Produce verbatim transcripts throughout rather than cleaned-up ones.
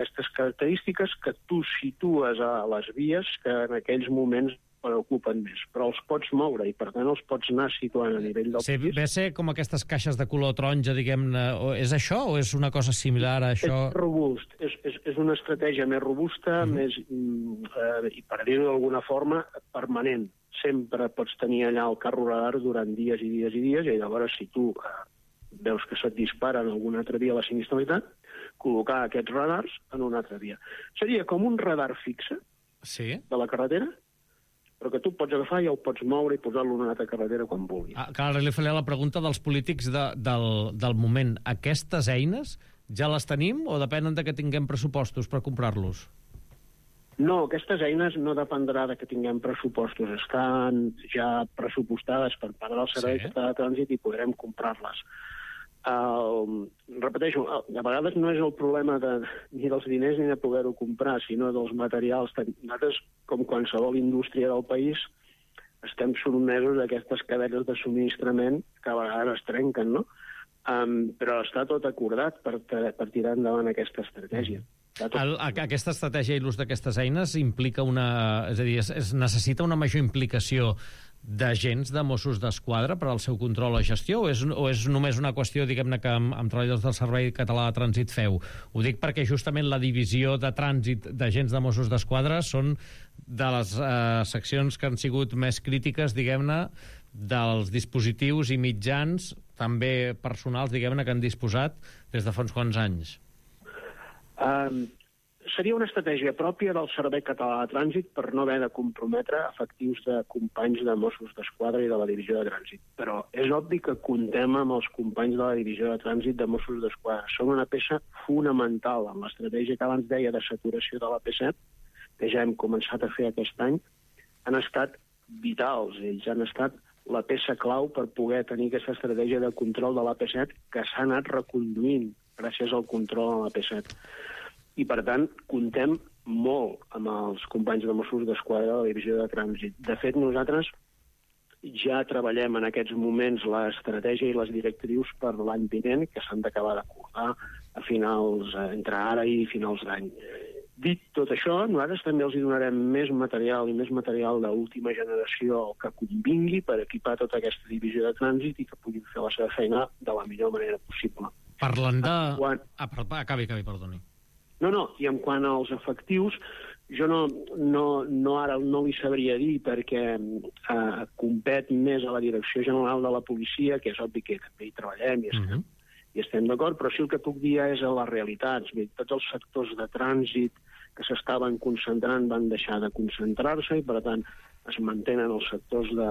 aquestes característiques que tu situes a les vies que en aquells moments preocupen més, però els pots moure i per tant els pots anar situant a nivell del sí, pis. Ve a ser com aquestes caixes de color taronja, diguem-ne, és això o és una cosa similar a això? És robust, és, és, és una estratègia més robusta, mm. més, eh, i per dir-ho d'alguna forma, permanent. Sempre pots tenir allà el carro radar durant dies i dies i dies, i llavors si tu eh, veus que se't dispara en alguna altra via la sinistralitat, col·locar aquests radars en una altra via. Seria com un radar fixe sí. de la carretera, però que tu pots agafar i el pots moure i posar-lo en una altra carretera quan vulguis. Ah, clar, ara li faré la pregunta dels polítics de, del, del moment. Aquestes eines ja les tenim o depenen de que tinguem pressupostos per comprar-los? No, aquestes eines no dependrà de que tinguem pressupostos. Estan ja pressupostades per part del Servei Català de Trànsit i podrem comprar-les. Uh, repeteixo, a vegades no és el problema de, ni dels diners ni de poder-ho comprar, sinó dels materials. Nosaltres, com qualsevol indústria del país, estem sotmesos a aquestes cadenes de subministrament que a vegades es trenquen, no? Um, però està tot acordat per, per tirar endavant aquesta estratègia. El, aquesta estratègia i l'ús d'aquestes eines implica una... És a dir, es, es necessita una major implicació d'agents de Mossos d'Esquadra per al seu control o gestió, o és, o és només una qüestió, diguem-ne, que amb, amb treballadors del Servei Català de Trànsit feu? Ho dic perquè justament la divisió de trànsit d'agents de Mossos d'Esquadra són de les eh, seccions que han sigut més crítiques, diguem-ne, dels dispositius i mitjans, també personals, diguem-ne, que han disposat des de fa uns quants anys. Um, seria una estratègia pròpia del Servei Català de Trànsit per no haver de comprometre efectius de companys de Mossos d'Esquadra i de la Divisió de Trànsit. Però és obvi que comptem amb els companys de la Divisió de Trànsit de Mossos d'Esquadra. Són una peça fonamental en l'estratègia que abans deia de saturació de l'A P set, que ja hem començat a fer aquest any. Han estat vitals, ells han estat la peça clau per poder tenir aquesta estratègia de control de l'A P set que s'ha anat reconduint gràcies al control a l'A P set. I, per tant, comptem molt amb els companys de Mossos d'Esquadra de la Divisió de Trànsit. De fet, nosaltres ja treballem en aquests moments l'estratègia i les directrius per l'any vinent, que s'han d'acabar d'acordar a finals, entre ara i finals d'any. Dit tot això, nosaltres també els donarem més material i més material d'última generació que convingui per equipar tota aquesta divisió de trànsit i que puguin fer la seva feina de la millor manera possible. Parlant de... Quan... Ah, acabi, acabi, perdoni. No, no, i en quant als efectius, jo no, no, no ara no li sabria dir perquè eh, compet més a la Direcció General de la Policia, que és obvi que també hi treballem i estem, uh-huh. i estem d'acord, però sí el que puc dir és a les realitats. Tots els sectors de trànsit que s'estaven concentrant van deixar de concentrar-se i, per tant, es mantenen els sectors de,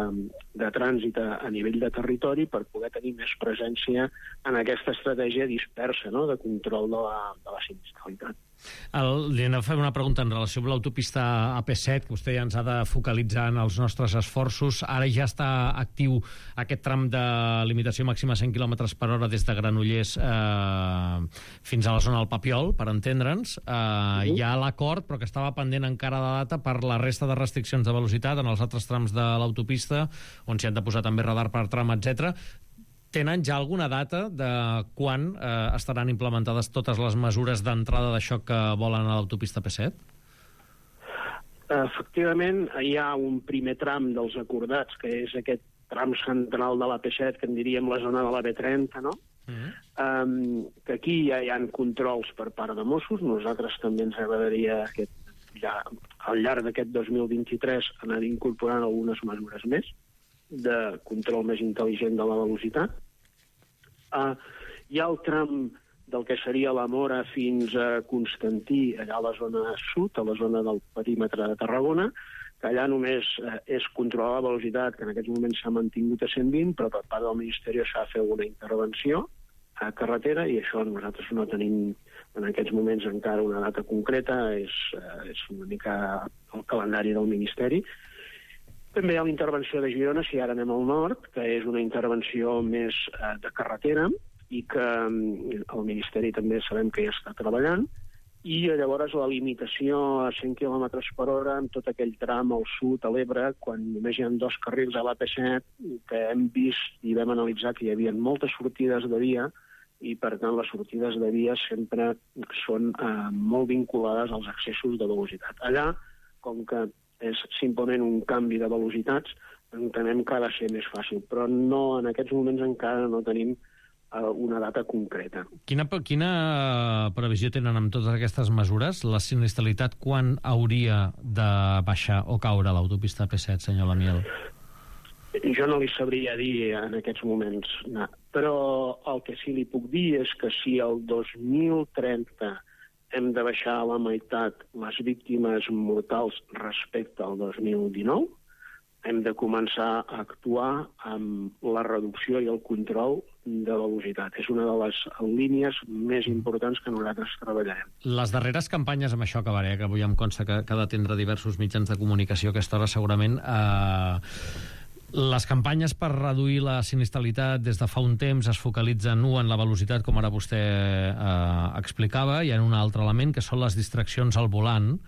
de trànsit a, a nivell de territori per poder tenir més presència en aquesta estratègia dispersa, no?, de control de la, de la sinistralitat. El, li anem a fer una pregunta en relació amb l'autopista A P set, que vostè ja ens ha de focalitzar en els nostres esforços. Ara ja està actiu aquest tram de limitació màxima a cent quilòmetres per hora des de Granollers eh, fins a la zona del Papiol, per entendre'ns. Eh, uh-huh. Hi ha l'acord, però que estava pendent encara de data per la resta de restriccions de velocitat en els altres trams de l'autopista, on s'hi han de posar també radar per tram, etcètera. Tenen ja alguna data de quan eh, estaran implementades totes les mesures d'entrada d'això que volen a l'autopista A P set? Efectivament, hi ha un primer tram dels acordats, que és aquest tram central de l'A P set, que en diríem la zona de la B trenta, no? Uh-huh. Um, que aquí ja hi ha controls per part de Mossos. Nosaltres també ens agradaria aquest, ja, al llarg d'aquest dos mil vint-i-tres anar incorporant algunes mesures més de control més intel·ligent de la velocitat. Uh, hi ha el tram del que seria la Mora fins a Constantí, allà a la zona sud, a la zona del perímetre de Tarragona, que allà només uh, és controlar la velocitat, que en aquests moments s'ha mantingut a cent vint, però per part del Ministeri s'ha de fer alguna intervenció a carretera, i això nosaltres no tenim en aquests moments encara una data concreta, és, uh, és una mica el calendari del Ministeri. També hi ha la intervenció de Girona, si ara anem al nord, que és una intervenció més eh, de carretera i que eh, el Ministeri també sabem que ja està treballant, i llavors la limitació a cent quilòmetres per hora en tot aquell tram al sud, a l'Ebre, quan només hi ha dos carrils a l'A P set, que hem vist i vam analitzar que hi havia moltes sortides de via i, per tant, les sortides de vies sempre són eh, molt vinculades als excessos de velocitat. Allà, com que és simplement un canvi de velocitats, entenem que ha de ser més fàcil, però no, en aquests moments encara no tenim eh, una data concreta. Quina, quina previsió tenen amb totes aquestes mesures? La sinistralitat quan hauria de baixar o caure l'autopista P set, senyor Lamiel? Jo no li sabria dir en aquests moments, no. Però el que sí li puc dir és que si el dos mil trenta hem de baixar a la meitat les víctimes mortals respecte al dos mil dinou, hem de començar a actuar amb la reducció i el control de velocitat. És una de les línies més importants que nosaltres treballarem. Les darreres campanyes, amb això acabaré, que avui em consta que, que ha d'atendre diversos mitjans de comunicació a aquesta hora segurament, eh, les campanyes per reduir la sinistralitat des de fa un temps es focalitzen u en la velocitat, com ara vostè eh, explicava, i en un altre element, que són les distraccions al volant.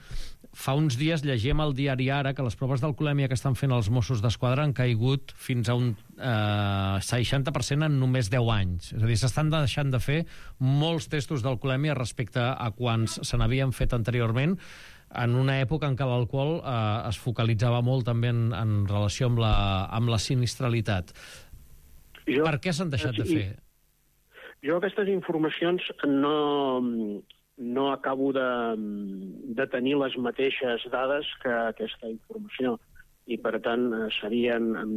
Fa uns dies llegíem al diari Ara que les proves d'alcoholèmia que estan fent els Mossos d'Esquadra han caigut fins a un eh, seixanta per cent en només deu anys. És a dir, s'estan deixant de fer molts testos d'alcoholèmia respecte a quants se n'havien fet anteriorment, en una època en què l'alcohol eh, es focalitzava molt també en, en relació amb la, amb la sinistralitat. Jo, per què s'han deixat de fer? Jo aquestes informacions no, no acabo de, de tenir les mateixes dades que aquesta informació i, per tant, serien, en,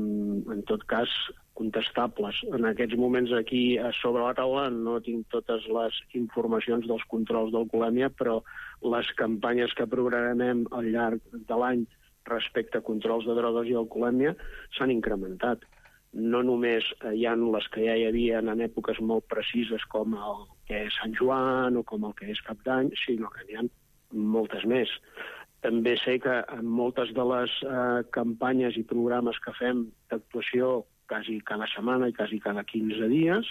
en tot cas, contestables. En aquests moments aquí sobre la taula no tinc totes les informacions dels controls d'alcoholèmia, però les campanyes que programem al llarg de l'any respecte a controls de drogues i alcoholèmia s'han incrementat. No només hi ha les que ja hi havia en èpoques molt precises com el que és Sant Joan o com el que és Cap d'Any, sinó que n'hi ha moltes més. També sé que en moltes de les eh, campanyes i programes que fem d'actuació quasi cada setmana i quasi cada quinze dies,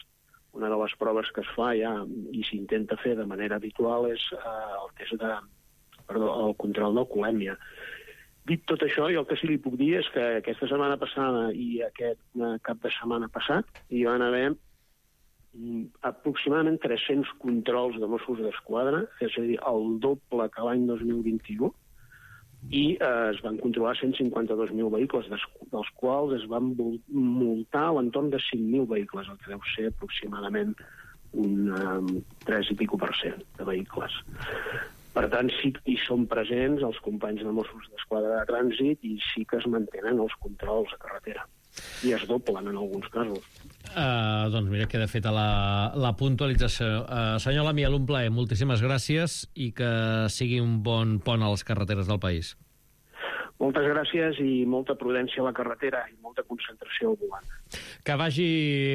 una de les proves que es fa ja i s'intenta fer de manera habitual és eh, el test de, perdó, el control d'alcoholèmia. Dit tot això, jo el que sí li puc dir és que aquesta setmana passada i aquest eh, cap de setmana passat hi van haver mm, aproximadament tres-cents controls de Mossos d'Esquadra, és a dir, el doble que l'any dos mil vint-i-u, i eh, es van controlar cent cinquanta-dos mil vehicles, des, dels quals es van multar a l'entorn de cinc mil vehicles, el que deu ser aproximadament un um, tres i pico per cent de vehicles. Per tant, sí que hi són presents els companys de Mossos d'Esquadra de Trànsit i sí que es mantenen els controls a carretera. I es doblen en alguns casos. Uh, doncs mira, queda feta la, la puntualització. Uh, senyor Lamiel, un plaer, moltíssimes gràcies i que sigui un bon pont a les carreteres del país. Moltes gràcies i molta prudència a la carretera i molta concentració al volant. Que vagi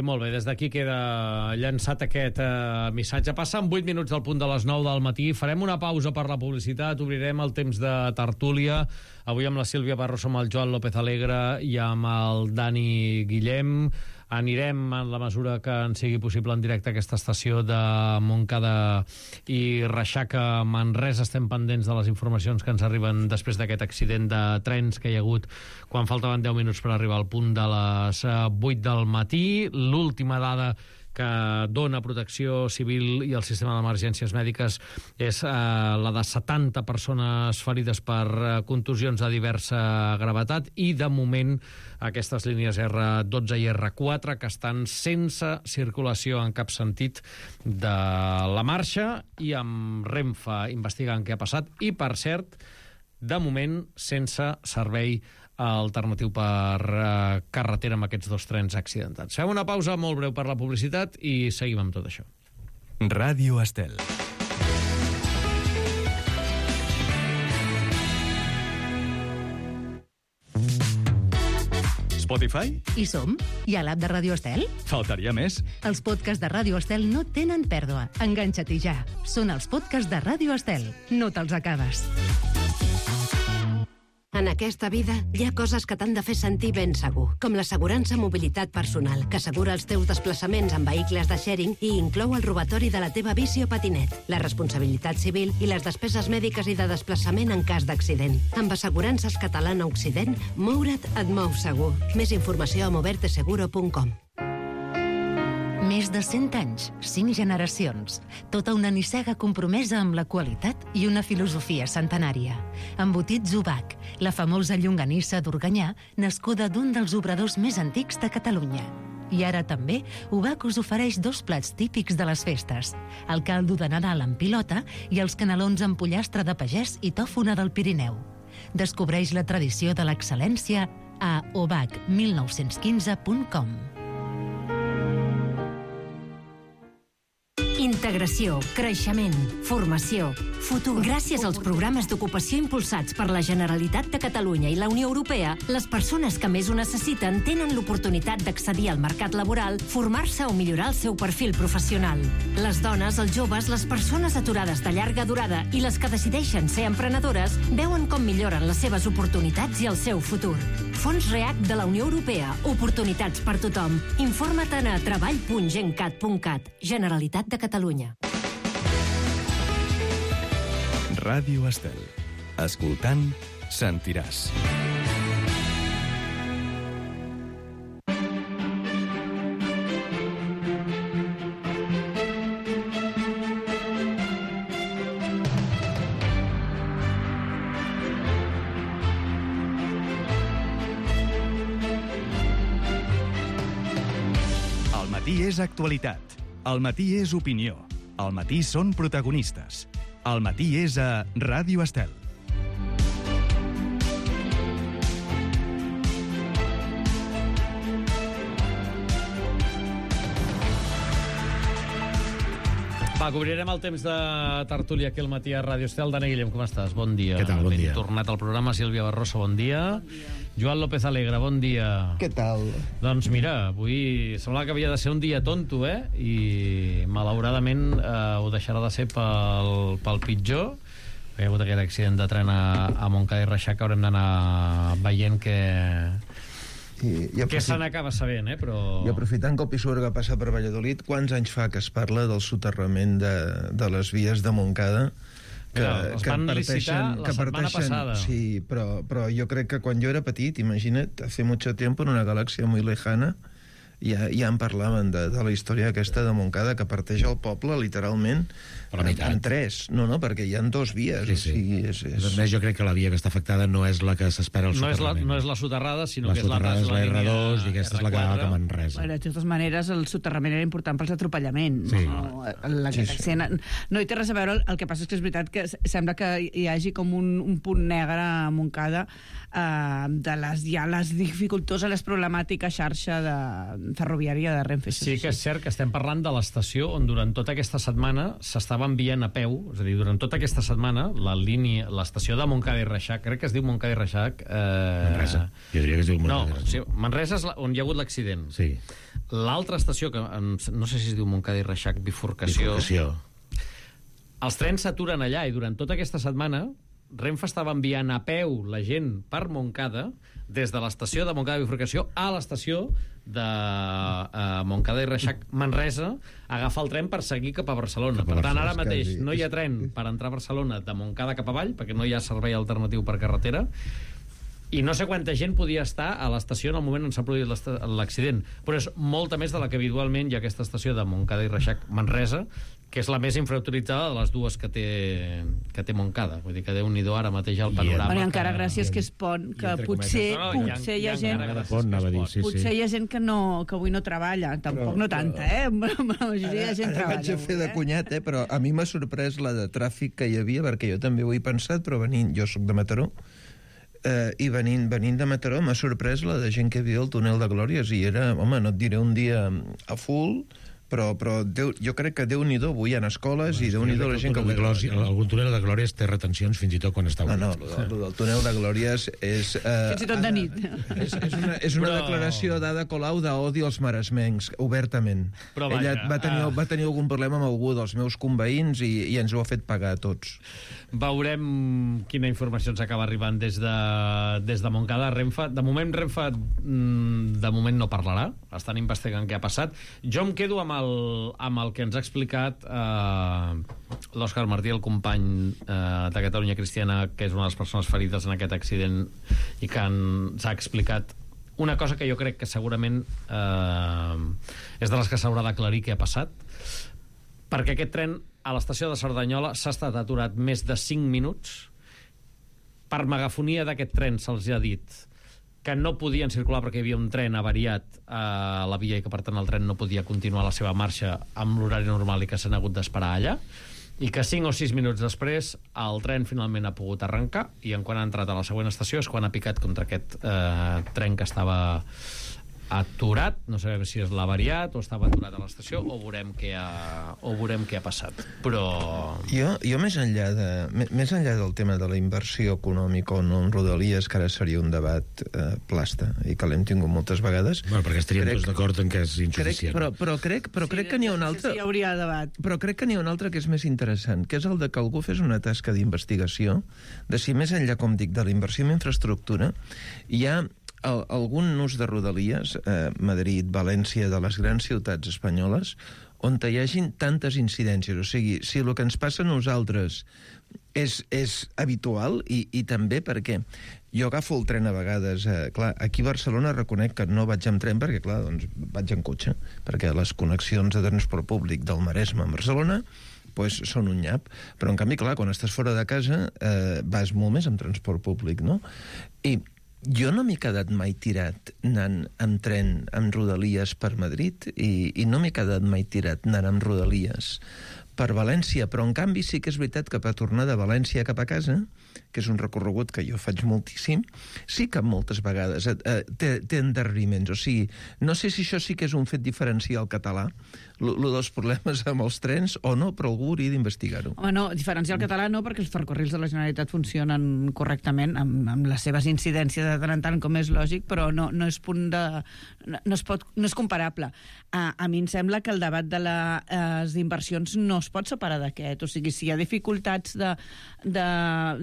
molt bé. Des d'aquí queda llançat aquest eh, missatge. Passen vuit minuts del punt de les nou del matí. Farem una pausa per la publicitat. Obrirem el temps de tertúlia. Avui amb la Sílvia Barroso, amb el Joan López Alegre i amb el Dani Guillem. Anirem, en la mesura que en sigui possible, en directe a aquesta estació de Montcada i Reixaca, Manresa. Estem pendents de les informacions que ens arriben després d'aquest accident de trens que hi ha hagut quan faltaven deu minuts per arribar al punt de les vuit del matí. L'última dada que dona Protecció Civil i el sistema d'emergències mèdiques és eh, la de setanta persones ferides per eh, contusions de diversa gravetat i, de moment, aquestes línies erre dotze i erre quatre que estan sense circulació en cap sentit de la marxa i amb Renfe investigant què ha passat i, per cert, de moment sense servei alternatiu per uh, carretera amb aquests dos trens accidentats. Fem una pausa molt breu per la publicitat i seguim amb tot això. Ràdio Estel. Spotify? Hi som? Hi ha l'app de Ràdio Estel? Faltaria més. Els podcasts de Ràdio Estel no tenen pèrdua. Enganxa-t'hi ja. Són els podcasts de Ràdio Estel. No te'ls acabes. En aquesta vida hi ha coses que t'han de fer sentir ben segur, com l'assegurança mobilitat personal, que assegura els teus desplaçaments en vehicles de sharing i inclou el robatori de la teva bici o patinet, la responsabilitat civil i les despeses mèdiques i de desplaçament en cas d'accident. Amb Assegurances Catalana Occident, moure't et mou segur. Més informació a moverte seguro punt com. Més de cent anys, cinc generacions. Tota una nissaga compromesa amb la qualitat i una filosofia centenària. Embotits Ubac, la famosa llonganissa d'Organyà, nascuda d'un dels obradors més antics de Catalunya. I ara també, Ubac us ofereix dos plats típics de les festes. El caldo de Nadal amb pilota i els canelons amb pollastre de pagès i tòfona del Pirineu. Descobreix la tradició de l'excel·lència a ubac mil nou-cents quinze punt com. Integració, creixement, formació, futur. Gràcies als programes d'ocupació impulsats per la Generalitat de Catalunya i la Unió Europea, les persones que més ho necessiten tenen l'oportunitat d'accedir al mercat laboral, formar-se o millorar el seu perfil professional. Les dones, els joves, les persones aturades de llarga durada i les que decideixen ser emprenedores veuen com milloren les seves oportunitats i el seu futur. Fons REACT de la Unió Europea. Oportunitats per tothom. Informa-te'n a treball punt gencat punt cat. Generalitat de Catalunya. Ràdio Estel. Escoltant, sentiràs. Al matí és actualitat. Al matí és opinió. Al matí són protagonistes. Al matí és a Ràdio Estel. Va, cobrirem el temps de tertúlia aquí al matí a Ràdio Estel. Dani Guillem, com estàs? Bon dia. Què tal? Bon dia. Ben tornat al programa. Sílvia Barroso, bon dia. Bon dia. Joan López Alegre, bon dia. Què tal? Doncs mira, avui sembla que havia de ser un dia tonto, eh? I malauradament eh, ho deixarà de ser pel, pel pitjor. Hi ha hagut aquest accident de tren a, a Montcada i Reixac que haurem d'anar veient que... I, i que se n'acaba sabent, eh? Però... I aprofitant que el Pisuerga passa per Valladolid, quants anys fa que es parla del soterrament de, de les vies de Montcada? Que, Mira, els que van licitar la que setmana passada. Sí, però, però jo crec que quan jo era petit, imagina't, hace mucho tiempo, en una galàxia muy lejana, ja, ja en parlaven de, de la història aquesta de Montcada, que parteix el poble, literalment, Per la en, meitat. en tres. No, no, perquè hi ha dues vies. Sí, O sí. sigui, és, és... A més, jo crec que la via que està afectada no és la que s'espera al No és, la, soterrament. no és la soterrada, sinó La que és la, soterrada és la línia erre dos i aquesta és la que va erre cap a quatre. Manresa. Bueno, de totes maneres, el soterrament era important pels atropellaments. Sí. No? El, Sí, aquest sí. accident, no hi té res a veure, el que passa és que és veritat que sembla que hi hagi com un, un punt negre a Montcada eh, de les, ja les dificultoses, les problemàtiques xarxa de, ferroviària de Renfe. Sí que és cert que estem parlant de l'estació on durant tota aquesta setmana s'estava enviant a peu, és a dir, durant tota aquesta setmana la línia, l'estació de Montcada i Reixac, crec que es diu Montcada i Reixac... Eh... Manresa. Jo diria que es diu No, Manresa. sí, Manresa és la, on hi ha hagut l'accident. Sí. L'altra estació, que em- no sé si es diu Montcada i Reixac, bifurcació... Bifurcació. Els trens s'aturen allà i durant tota aquesta setmana Renfe estava enviant a peu la gent per Montcada des de l'estació de Montcada Bifurcació a l'estació de uh, Montcada i Reixac Manresa a agafar el tren per seguir cap a Barcelona. Cap a Per tant, Barcelona, ara mateix quasi. no hi ha tren per entrar a Barcelona de Montcada cap avall, perquè no hi ha servei alternatiu per carretera, i no sé quanta gent podia estar a l'estació en el moment on s'ha produït l'esta- l'accident, però és molta més de la que habitualment hi ha aquesta estació de Montcada i Reixac Manresa, que és la més infrautilitzada de les dues que té, que té Montcada. Vull dir que Déu-n'hi-do ara mateix el I- panorama. Bueno, i encara que... gràcies que és pont, que entre potser, cometes. No, no, hi ha- potser hi hi ha ha gent... encara gràcies Pont, que anava a es dir, pot. sí, Potser sí. hi ha gent que, no, que avui no treballa, tampoc no tanta, eh? La majoria de gent Ara treballa. vaig a fer avui, de eh? cunyat, eh? Però a mi m'ha sorprès la de tràfic que hi havia, perquè jo també ho he pensat, però venint, jo sóc de Mataró, eh, i venint, venint de Mataró m'ha sorprès la de gent que havia al túnel de Glòries, i era, home, no et diré un dia a full, però, però Déu, jo crec que Déu-n'hi-do, avui hi ha escoles i Déu-n'hi-do la gent que avui... Algun túnel de Glòries té retencions fins i tot quan està No, obert. no, lo, del- lo del túnel de Glòries és... Eh, Fins i tot de nit. És, és una, és una Però- declaració d'Ada Colau d'odi als maresmencs, obertament. Però Ella vaja, va tenir, ah. va tenir algun problema amb algú dels meus conveïns i, i ens ho ha fet pagar a tots. Veurem quina informació ens acaba arribant des de, des de Montcada. Renfe, de moment Renfe mm, de moment no parlarà, estan investigant què ha passat. Jo em quedo amb el, amb el que ens ha explicat eh, l'Òscar Martí, el company eh, de Catalunya Cristiana, que és una de les persones ferides en aquest accident i que ens ha explicat una cosa que jo crec que segurament eh, és de les que s'haurà d'aclarir què ha passat, perquè aquest tren a l'estació de Cerdanyola s'ha estat aturat més de cinc minuts. Per megafonia d'aquest tren se'ls ha dit que no podien circular perquè hi havia un tren avariat a la via i que per tant el tren no podia continuar la seva marxa amb l'horari normal i que s'han hagut d'esperar allà, i que cinc o sis minuts després el tren finalment ha pogut arrencar, i en quan ha entrat a la següent estació és quan ha picat contra aquest eh, tren que estava aturat. No sabem si és l'avariat o estava aturat a l'estació, o veurem què ha, o veurem què ha passat. Però... Jo, jo més, enllà de, més enllà del tema de la inversió econòmica o no en Rodalies, que ara seria un debat eh, plasta, i que l'hem tingut moltes vegades... Bueno, perquè estaríem crec, tots d'acord en que és insuficient. Crec, però, però crec, però sí, crec que n'hi ha un altre... Sí, hi hauria debat. Però crec que n'hi ha un altre que és més interessant, que és el de que algú fes una tasca d'investigació de si més enllà, com dic, de la inversió en infraestructura, hi ha el, algun ús de Rodalies, eh, Madrid, València, de les grans ciutats espanyoles, on hi hagin tantes incidències. O sigui, si el que ens passa a nosaltres és, és habitual, i, i també perquè jo agafo el tren a vegades, eh, clar, aquí a Barcelona reconec que no vaig amb tren perquè, clar, doncs vaig en cotxe, perquè les connexions de transport públic del Maresme a Barcelona pues, són un nyap, però en canvi, clar, quan estàs fora de casa eh, vas molt més amb transport públic, no? I jo no m'he quedat mai tirat anant amb tren amb Rodalies per Madrid, i, i no m'he quedat mai tirat anant amb Rodalies per València, però en canvi sí que és veritat que per tornar de València cap a casa, que és un recorregut que jo faig moltíssim, sí que moltes vegades eh, eh, té, té endarreriments. O sigui, no sé si això sí que és un fet diferencial català, lo, lo dels problemes amb els trens, o no, però algú hauria d'investigar-ho. Home, no, diferencial català no, perquè els ferrocarrils de la Generalitat funcionen correctament, amb, amb les seves incidències de tant en tant, com és lògic, però no, no és punt de... No, no, es pot, no és comparable. A, a mi em sembla que el debat de les inversions no es pot separar d'aquest. O sigui, si hi ha dificultats de, de,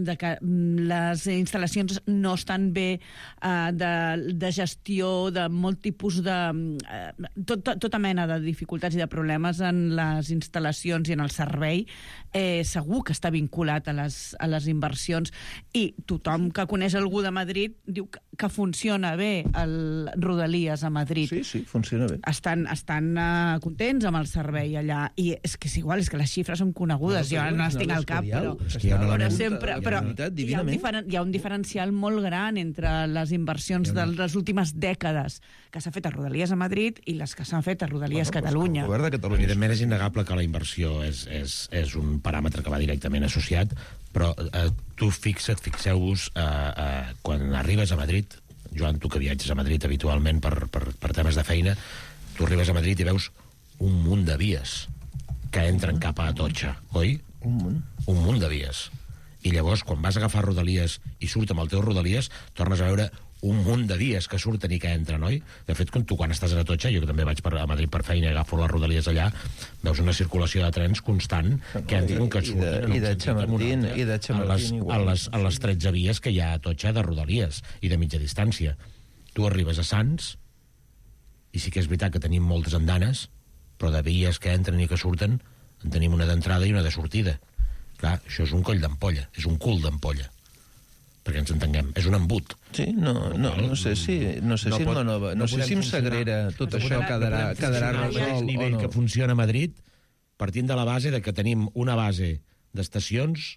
de que les instal·lacions no estan bé, eh, de, de gestió, de molt tipus de... Eh, tot, tota mena de dificultats i de problemes en les instal·lacions i en el servei, eh, segur que està vinculat a les, a les inversions, i tothom que coneix algú de Madrid diu que, que funciona bé el Rodalies a Madrid. Sí, sí, funciona bé. Estan, estan uh, contents amb el servei allà, i és que és igual, és que les xifres són conegudes, no, jo no les tinc al cap, però, és que hi ha un però, element, sempre, però hi ha, un diferen, hi ha un diferencial molt gran entre les inversions de les últimes dècades que s'ha fet a Rodalies a Madrid i les que s'han fet a Rodalies bueno, Catalunya. Pues, de Catalunya. Evidentment és innegable que la inversió és, és, és un paràmetre que va directament associat, però eh, tu fixa't, fixeu-vos, eh, eh, quan arribes a Madrid, Joan, tu que viatges a Madrid habitualment per, per, per temes de feina, tu arribes a Madrid i veus un munt de vies que entren cap a Atocha, oi? Un munt. Un munt de vies. I llavors, quan vas a agafar Rodalies i surt amb el teu Rodalies, tornes a veure un munt de vies que surten i que entren, oi? De fet, tu quan estàs a Atocha, jo que també vaig per, a Madrid per feina i agafo les Rodalies allà, veus una circulació de trens constant que entren, que surten i de, i de Chamartín, i de Chamartín a les, a, les, a les tretze vies que hi ha a Atocha de Rodalies i de mitja distància. Tu arribes a Sants i sí que és veritat que tenim moltes andanes, però de vies que entren i que surten en tenim una d'entrada i una de sortida. Clar, això és un coll d'ampolla, és un cul d'ampolla, perquè ens entenguem, és un embut. Sí, no, no, no sé si, no sé no si pot, no, no, no sé si amb Sagrera tot no això quedarà, no quedarà resolt o nivell no. Que funciona a Madrid, partint de la base de que tenim una base d'estacions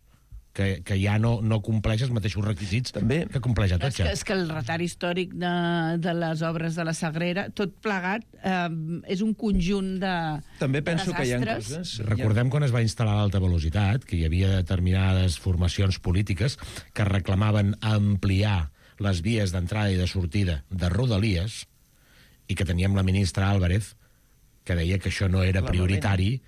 que, que ja no, no compleix els mateixos requisits també, que compleix a Atocha. És que, és que el retard històric de, de les obres de la Sagrera, tot plegat, eh, és un conjunt de També penso de que hi ha coses... Recordem quan es va instal·lar l'alta velocitat, que hi havia determinades formacions polítiques que reclamaven ampliar les vies d'entrada i de sortida de Rodalies, i que teníem la ministra Álvarez, que deia que això no era prioritari,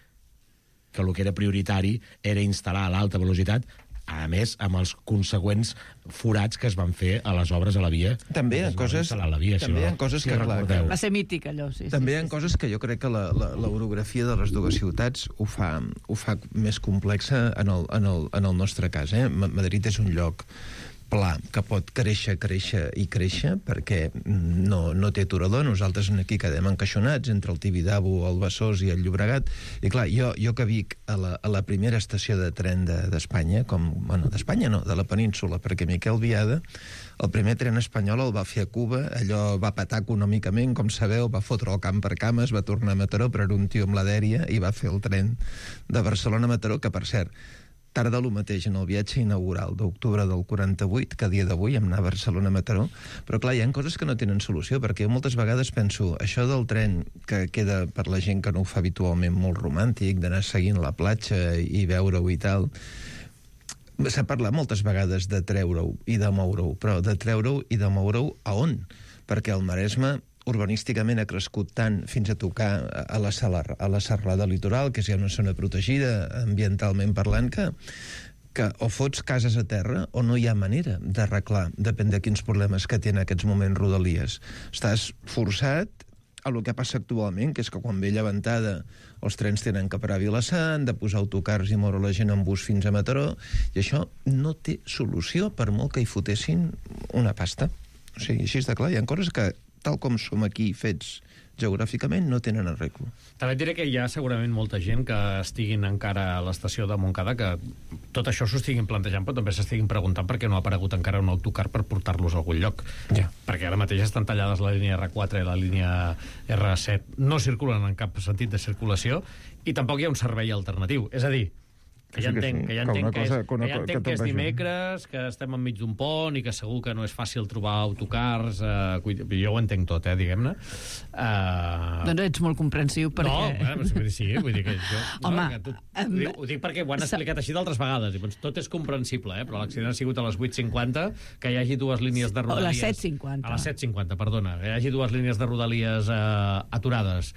que el que era prioritari era instal·lar l'alta velocitat, a més, amb els consegüents forats que es van fer a les obres a la via. També hi ha coses, la via, també si no, hi ha coses si que, clar, que... Va ser mític, allò, sí. També sí, hi ha sí, coses que jo crec que la, la, l'orografia de les dues ciutats ho fa, ho fa més complexa en el, en el, en el nostre cas. Eh? Madrid és un lloc pla que pot créixer, créixer i créixer, perquè no, no té aturador. Nosaltres aquí quedem encaixonats entre el Tibidabo, el Besòs i el Llobregat. I clar, jo, jo que vic a la, a la primera estació de tren d'Espanya, de, com, bueno, d'Espanya no, de la península, perquè Miquel Biada, el primer tren espanyol el va fer a Cuba, allò va patar econòmicament, com sabeu, va fotre el camp per cames, va tornar a Mataró, però era un tio amb la dèria, i va fer el tren de Barcelona a Mataró, que per cert, tarda el mateix en el viatge inaugural d'octubre del quaranta-vuit, que a dia d'avui hem anat a Barcelona a Mataró, però clar, hi ha coses que no tenen solució, perquè jo moltes vegades penso, això del tren que queda per la gent que no ho fa habitualment molt romàntic, d'anar seguint la platja i veure-ho i tal, s'ha parlat moltes vegades de treure-ho i de moure-ho, però de treure-ho i de moure-ho a on? Perquè el Maresme urbanísticament ha crescut tant fins a tocar a la, salar, a la serralada litoral, que és ja una zona protegida ambientalment parlant, que, que o fots cases a terra o no hi ha manera d'arreglar, depèn de quins problemes que té en aquests moments Rodalies. Estàs forçat a el que passa actualment, que és que quan ve llevantada els trens tenen que parar a Vilassar, han de posar autocars i moure la gent en bus fins a Mataró, i això no té solució per molt que hi fotessin una pasta. O sigui, així està clar, hi ha coses que tal com som aquí fets geogràficament, no tenen arreglo. També et diré que hi ha segurament molta gent que estiguin encara a l'estació de Montcada, que tot això s'ho estiguin plantejant, però també s'estiguin preguntant per què no ha aparegut encara un autocar per portar-los a algun lloc. Ja. Perquè ara mateix estan tallades la línia erre quatre i la línia erre set. No circulen en cap sentit de circulació i tampoc hi ha un servei alternatiu. És a dir, que ja entenc que, ja entenc que, és, que, ja entenc que és dimecres, que estem enmig d'un pont i que segur que no és fàcil trobar autocars, eh, jo ho entenc tot, eh, diguem-ne. Uh... Doncs ets molt comprensiu perquè... No, bueno, sí, vull dir que jo... Home, no, que tu, um, ho, dic, ho dic perquè ho han explicat així d'altres vegades, i doncs tot és comprensible, eh, però l'accident ha sigut a les vuit cinquanta, que hi hagi dues línies de Rodalies... A les set cinquanta. A les set cinquanta, perdona. Que hi hagi dues línies de Rodalies eh, aturades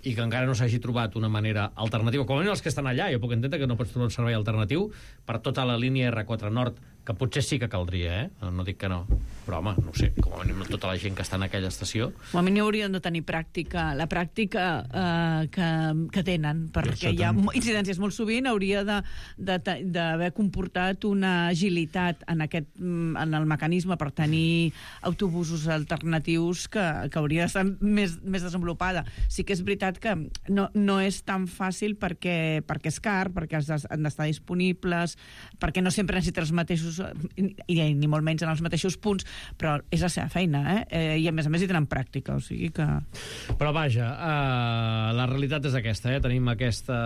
i que encara no s'hagi trobat una manera alternativa, com a mínim els que estan allà, jo puc entendre que no pots trobar un servei alternatiu per tota la línia erre quatre Nord, que potser sí que caldria, eh? No dic que no, però home, no ho sé, com a mínim tota la gent que està en aquella estació... Com a mínim haurien de tenir pràctica, la pràctica eh, que, que tenen, perquè hi ha incidències molt sovint, hauria d'haver comportat una agilitat en, aquest, en el mecanisme per tenir autobusos alternatius que, que hauria d'estar més, més desenvolupada. Sí que és veritat que no, no és tan fàcil perquè, perquè és car, perquè han d'estar disponibles, perquè no sempre necessites els mateixos i ni molt menys en els mateixos punts, però és la seva feina, eh? eh i a més a més hi tenen pràctica, o sigui que... Però vaja, uh, la realitat és aquesta, eh? Tenim aquesta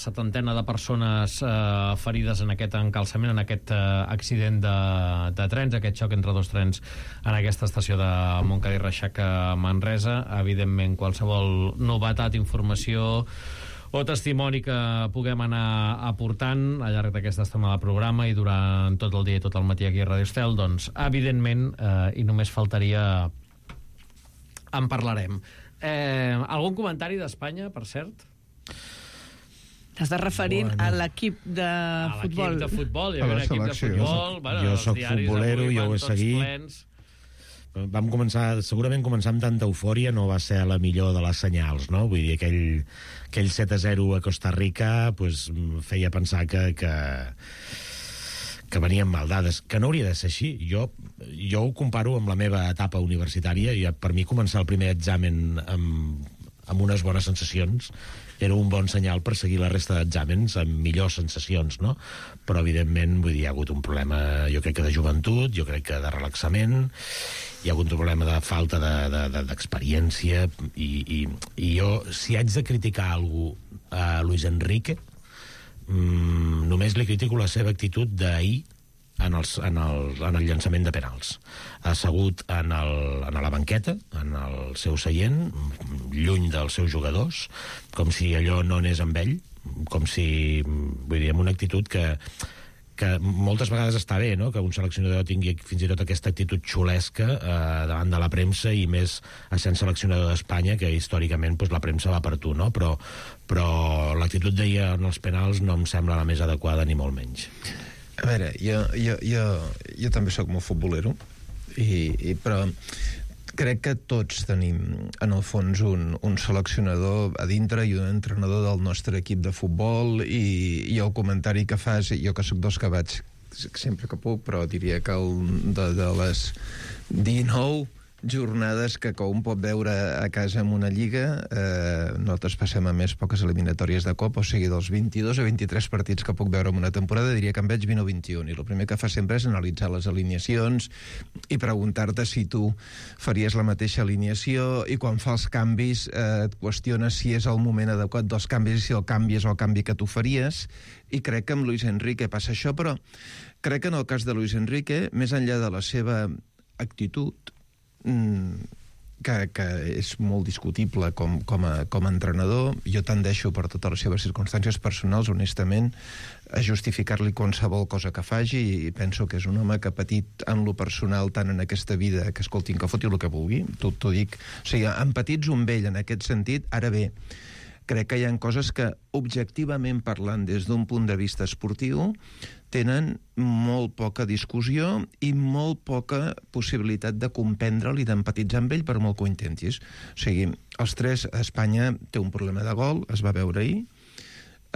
setantena de persones uh, ferides en aquest encalçament, en aquest uh, accident de, de trens, aquest xoc entre dos trens en aquesta estació de Montcada i Reixac a Manresa. Evidentment, qualsevol novetat, informació o testimoni que puguem anar aportant al llarg d'aquesta estona de programa i durant tot el dia i tot el matí aquí a Radio Estel, doncs, evidentment, eh, i només faltaria, en parlarem. Eh, algun comentari d'Espanya, per cert? T'estàs referint bueno. a l'equip de a futbol. A l'equip de futbol, hi ha un equip de futbol. Bueno, jo soc futbolero, jo ho he seguit. Plens. Vam començar, segurament començar amb tanta eufòria no va ser la millor de les senyals, no? Vull dir, aquell, aquell set a zero a Costa Rica pues, feia pensar que, que, que venien mal dades, que no hauria de ser així. Jo, jo ho comparo amb la meva etapa universitària, i per mi començar el primer examen amb, amb unes bones sensacions era un bon senyal per seguir la resta d'exàmens amb millors sensacions, no? Però, evidentment, vull dir, hi ha hagut un problema, jo crec que de joventut, jo crec que de relaxament, hi ha hagut un problema de falta d'experiència, de, de, de, i, i, i jo, si haig de criticar algú a Luis Enrique, mmm, només li critico la seva actitud d'ahir en, els, en, el, en el llançament de penals. Ha assegut en, el, en la banqueta, en el seu seient, lluny dels seus jugadors, com si allò no anés amb ell, com si, vull dir, amb una actitud que, que moltes vegades està bé, no?, que un seleccionador tingui fins i tot aquesta actitud xulesca eh, davant de la premsa, i més essent seleccionador d'Espanya, que històricament pues, la premsa va per tu, no? Però, però l'actitud d'ahir en els penals no em sembla la més adequada, ni molt menys. A veure, jo, jo, jo, jo també sóc molt futbolero, i, i, però crec que tots tenim, en el fons, un, un seleccionador a dintre i un entrenador del nostre equip de futbol, i, i el comentari que fas, jo que sóc dels que vaig sempre que puc, però diria que el, de, de les dinou jornades que un pot veure a casa en una lliga, eh, nosaltres passem a més poques eliminatòries de Copa, o sigui, dels vint-i-dos a vint-i-tres partits que puc veure en una temporada, diria que en veig vint o vint-i-un, i el primer que fa sempre és analitzar les alineacions i preguntar-te si tu faries la mateixa alineació, i quan fa els canvis eh, et qüestiones si és el moment adequat dels canvis i si el canvi és el canvi que tu faries, i crec que amb Luis Enrique passa això, però crec que en el cas de Luis Enrique, més enllà de la seva actitud, Que, que és molt discutible com, com, a, com a entrenador, jo tendeixo per totes les seves circumstàncies personals, honestament, a justificar-li qualsevol cosa que faci, i penso que és un home que ha patit en lo personal tant en aquesta vida, que escoltin, que foti el que vulgui, t'ho dic, o sigui, empatitzo amb ell en aquest sentit. Ara bé, crec que hi ha coses que, objectivament parlant des d'un punt de vista esportiu, tenen molt poca discussió i molt poca possibilitat de comprendre'l i d'empatitzar amb ell per molt que ho intentis. O sigui, els tres, Espanya té un problema de gol, es va veure ahir,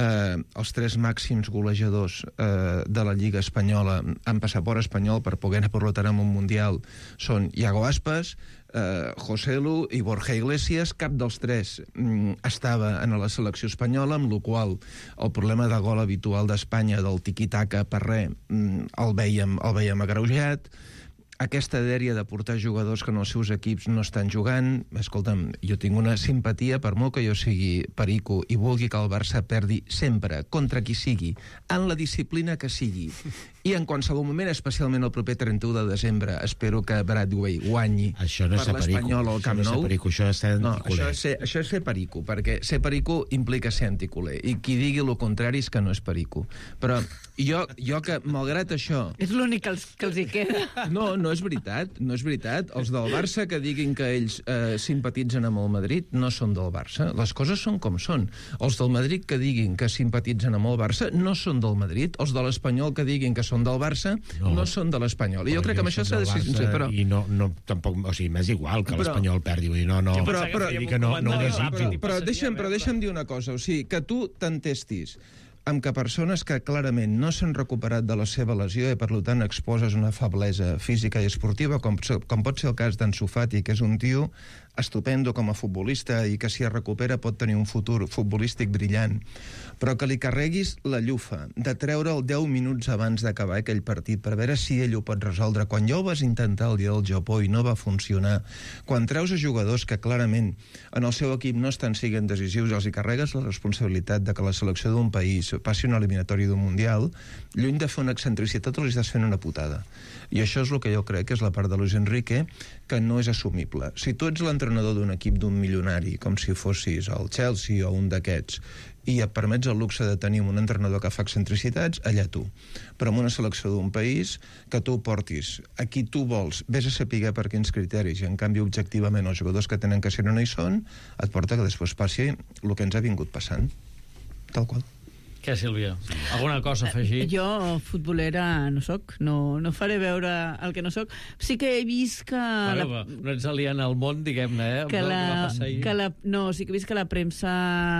eh, els tres màxims golejadors eh, de la Lliga Espanyola amb passaport espanyol per poder anar per l'Otaram un Mundial són Iago Aspas, Uh, José Lu i Borja Iglesias. Cap dels tres mm, estava en la selecció espanyola, amb la qual el problema de gol habitual d'Espanya, del tiqui-taca per res, mm, el vèiem, el vèiem agreujat. Aquesta dèria de portar jugadors que en els seus equips no estan jugant, escolta'm, jo tinc una simpatia, per molt que jo sigui perico i vulgui que el Barça perdi sempre, contra qui sigui, en la disciplina que sigui, i en qualsevol moment, especialment el proper trenta-u de desembre, espero que Bradway guanyi això no per l'Espanyol al Camp Nou. Perico, això és ser no, anticuler. això, és ser, això és ser perico, perquè ser perico implica ser anticuler, i qui digui el contrari és que no és perico. Però jo, jo que, malgrat això... És l'únic que, els, que els hi queda. No, no és veritat, no és veritat. Els del Barça que diguin que ells eh, simpatitzen amb el Madrid no són del Barça. Les coses són com són. Els del Madrid que diguin que simpatitzen amb el Barça no són del Madrid. Els de l'Espanyol que diguin que són del Barça no, no són de l'Espanyol. I jo crec que amb això s'ha de ser sincer, però... I no, no, tampoc, o sigui, m'és igual que l'Espanyol perdi, vull dir, no, no... Però, però, que no, no ho desitjo. Però deixa'm, però deixa'm dir una cosa, o sigui, que tu t'entestis amb que persones que clarament no s'han recuperat de la seva lesió i per tant exposes una feblesa física i esportiva, com, com pot ser el cas d'Ansu Fati, que és un tio estupendo com a futbolista i que si es recupera pot tenir un futur futbolístic brillant, però que li carreguis la llufa de treure'l deu minuts abans d'acabar aquell partit per veure si ell ho pot resoldre, quan ja ho vas intentar el dia del Japó i no va funcionar, quan treus a jugadors que clarament en el seu equip no estan siguent decisius, els hi carregues la responsabilitat de que la selecció d'un país passi una eliminatòria d'un Mundial, lluny de fer una excentricitat els estàs fent una putada. I això és el que jo crec que és la part de Luis Enrique que no és assumible. Si tu ets l'entrenador d'un equip d'un milionari, com si fossis el Chelsea o un d'aquests, i et permets el luxe de tenir un entrenador que fa excentricitats, allà tu. Però en una selecció d'un país que tu portis a qui tu vols, vés a saber per quins criteris, i en canvi objectivament els jugadors que tenen que ser no hi són, et porta que després passi el que ens ha vingut passant. Tal qual. Què, Sílvia? Alguna cosa a afegir? Jo, futbolera, no soc. No, no faré veure el que no soc. Sí que he vist que... Bueno, la... no ets aliant al món, diguem-ne, eh? Que la, que la, no, sí que he vist que la premsa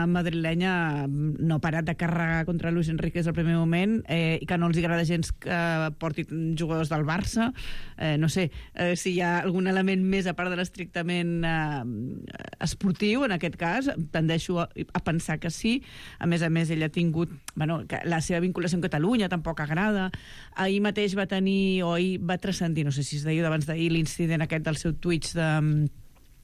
madrilenya no ha parat de carregar contra Luis Enrique des del primer moment, eh, i que no els agrada gens que portin jugadors del Barça. Eh, no sé eh, si hi ha algun element més a part de l'estrictament eh, esportiu, en aquest cas. Tendeixo a, a pensar que sí. A més a més, ell ha tingut bueno, que la seva vinculació amb Catalunya tampoc agrada. Ahir mateix va tenir, o ahir va transcendir, no sé si és d'ahir o d'abans d'ahir, l'incident aquest del seu Twitch de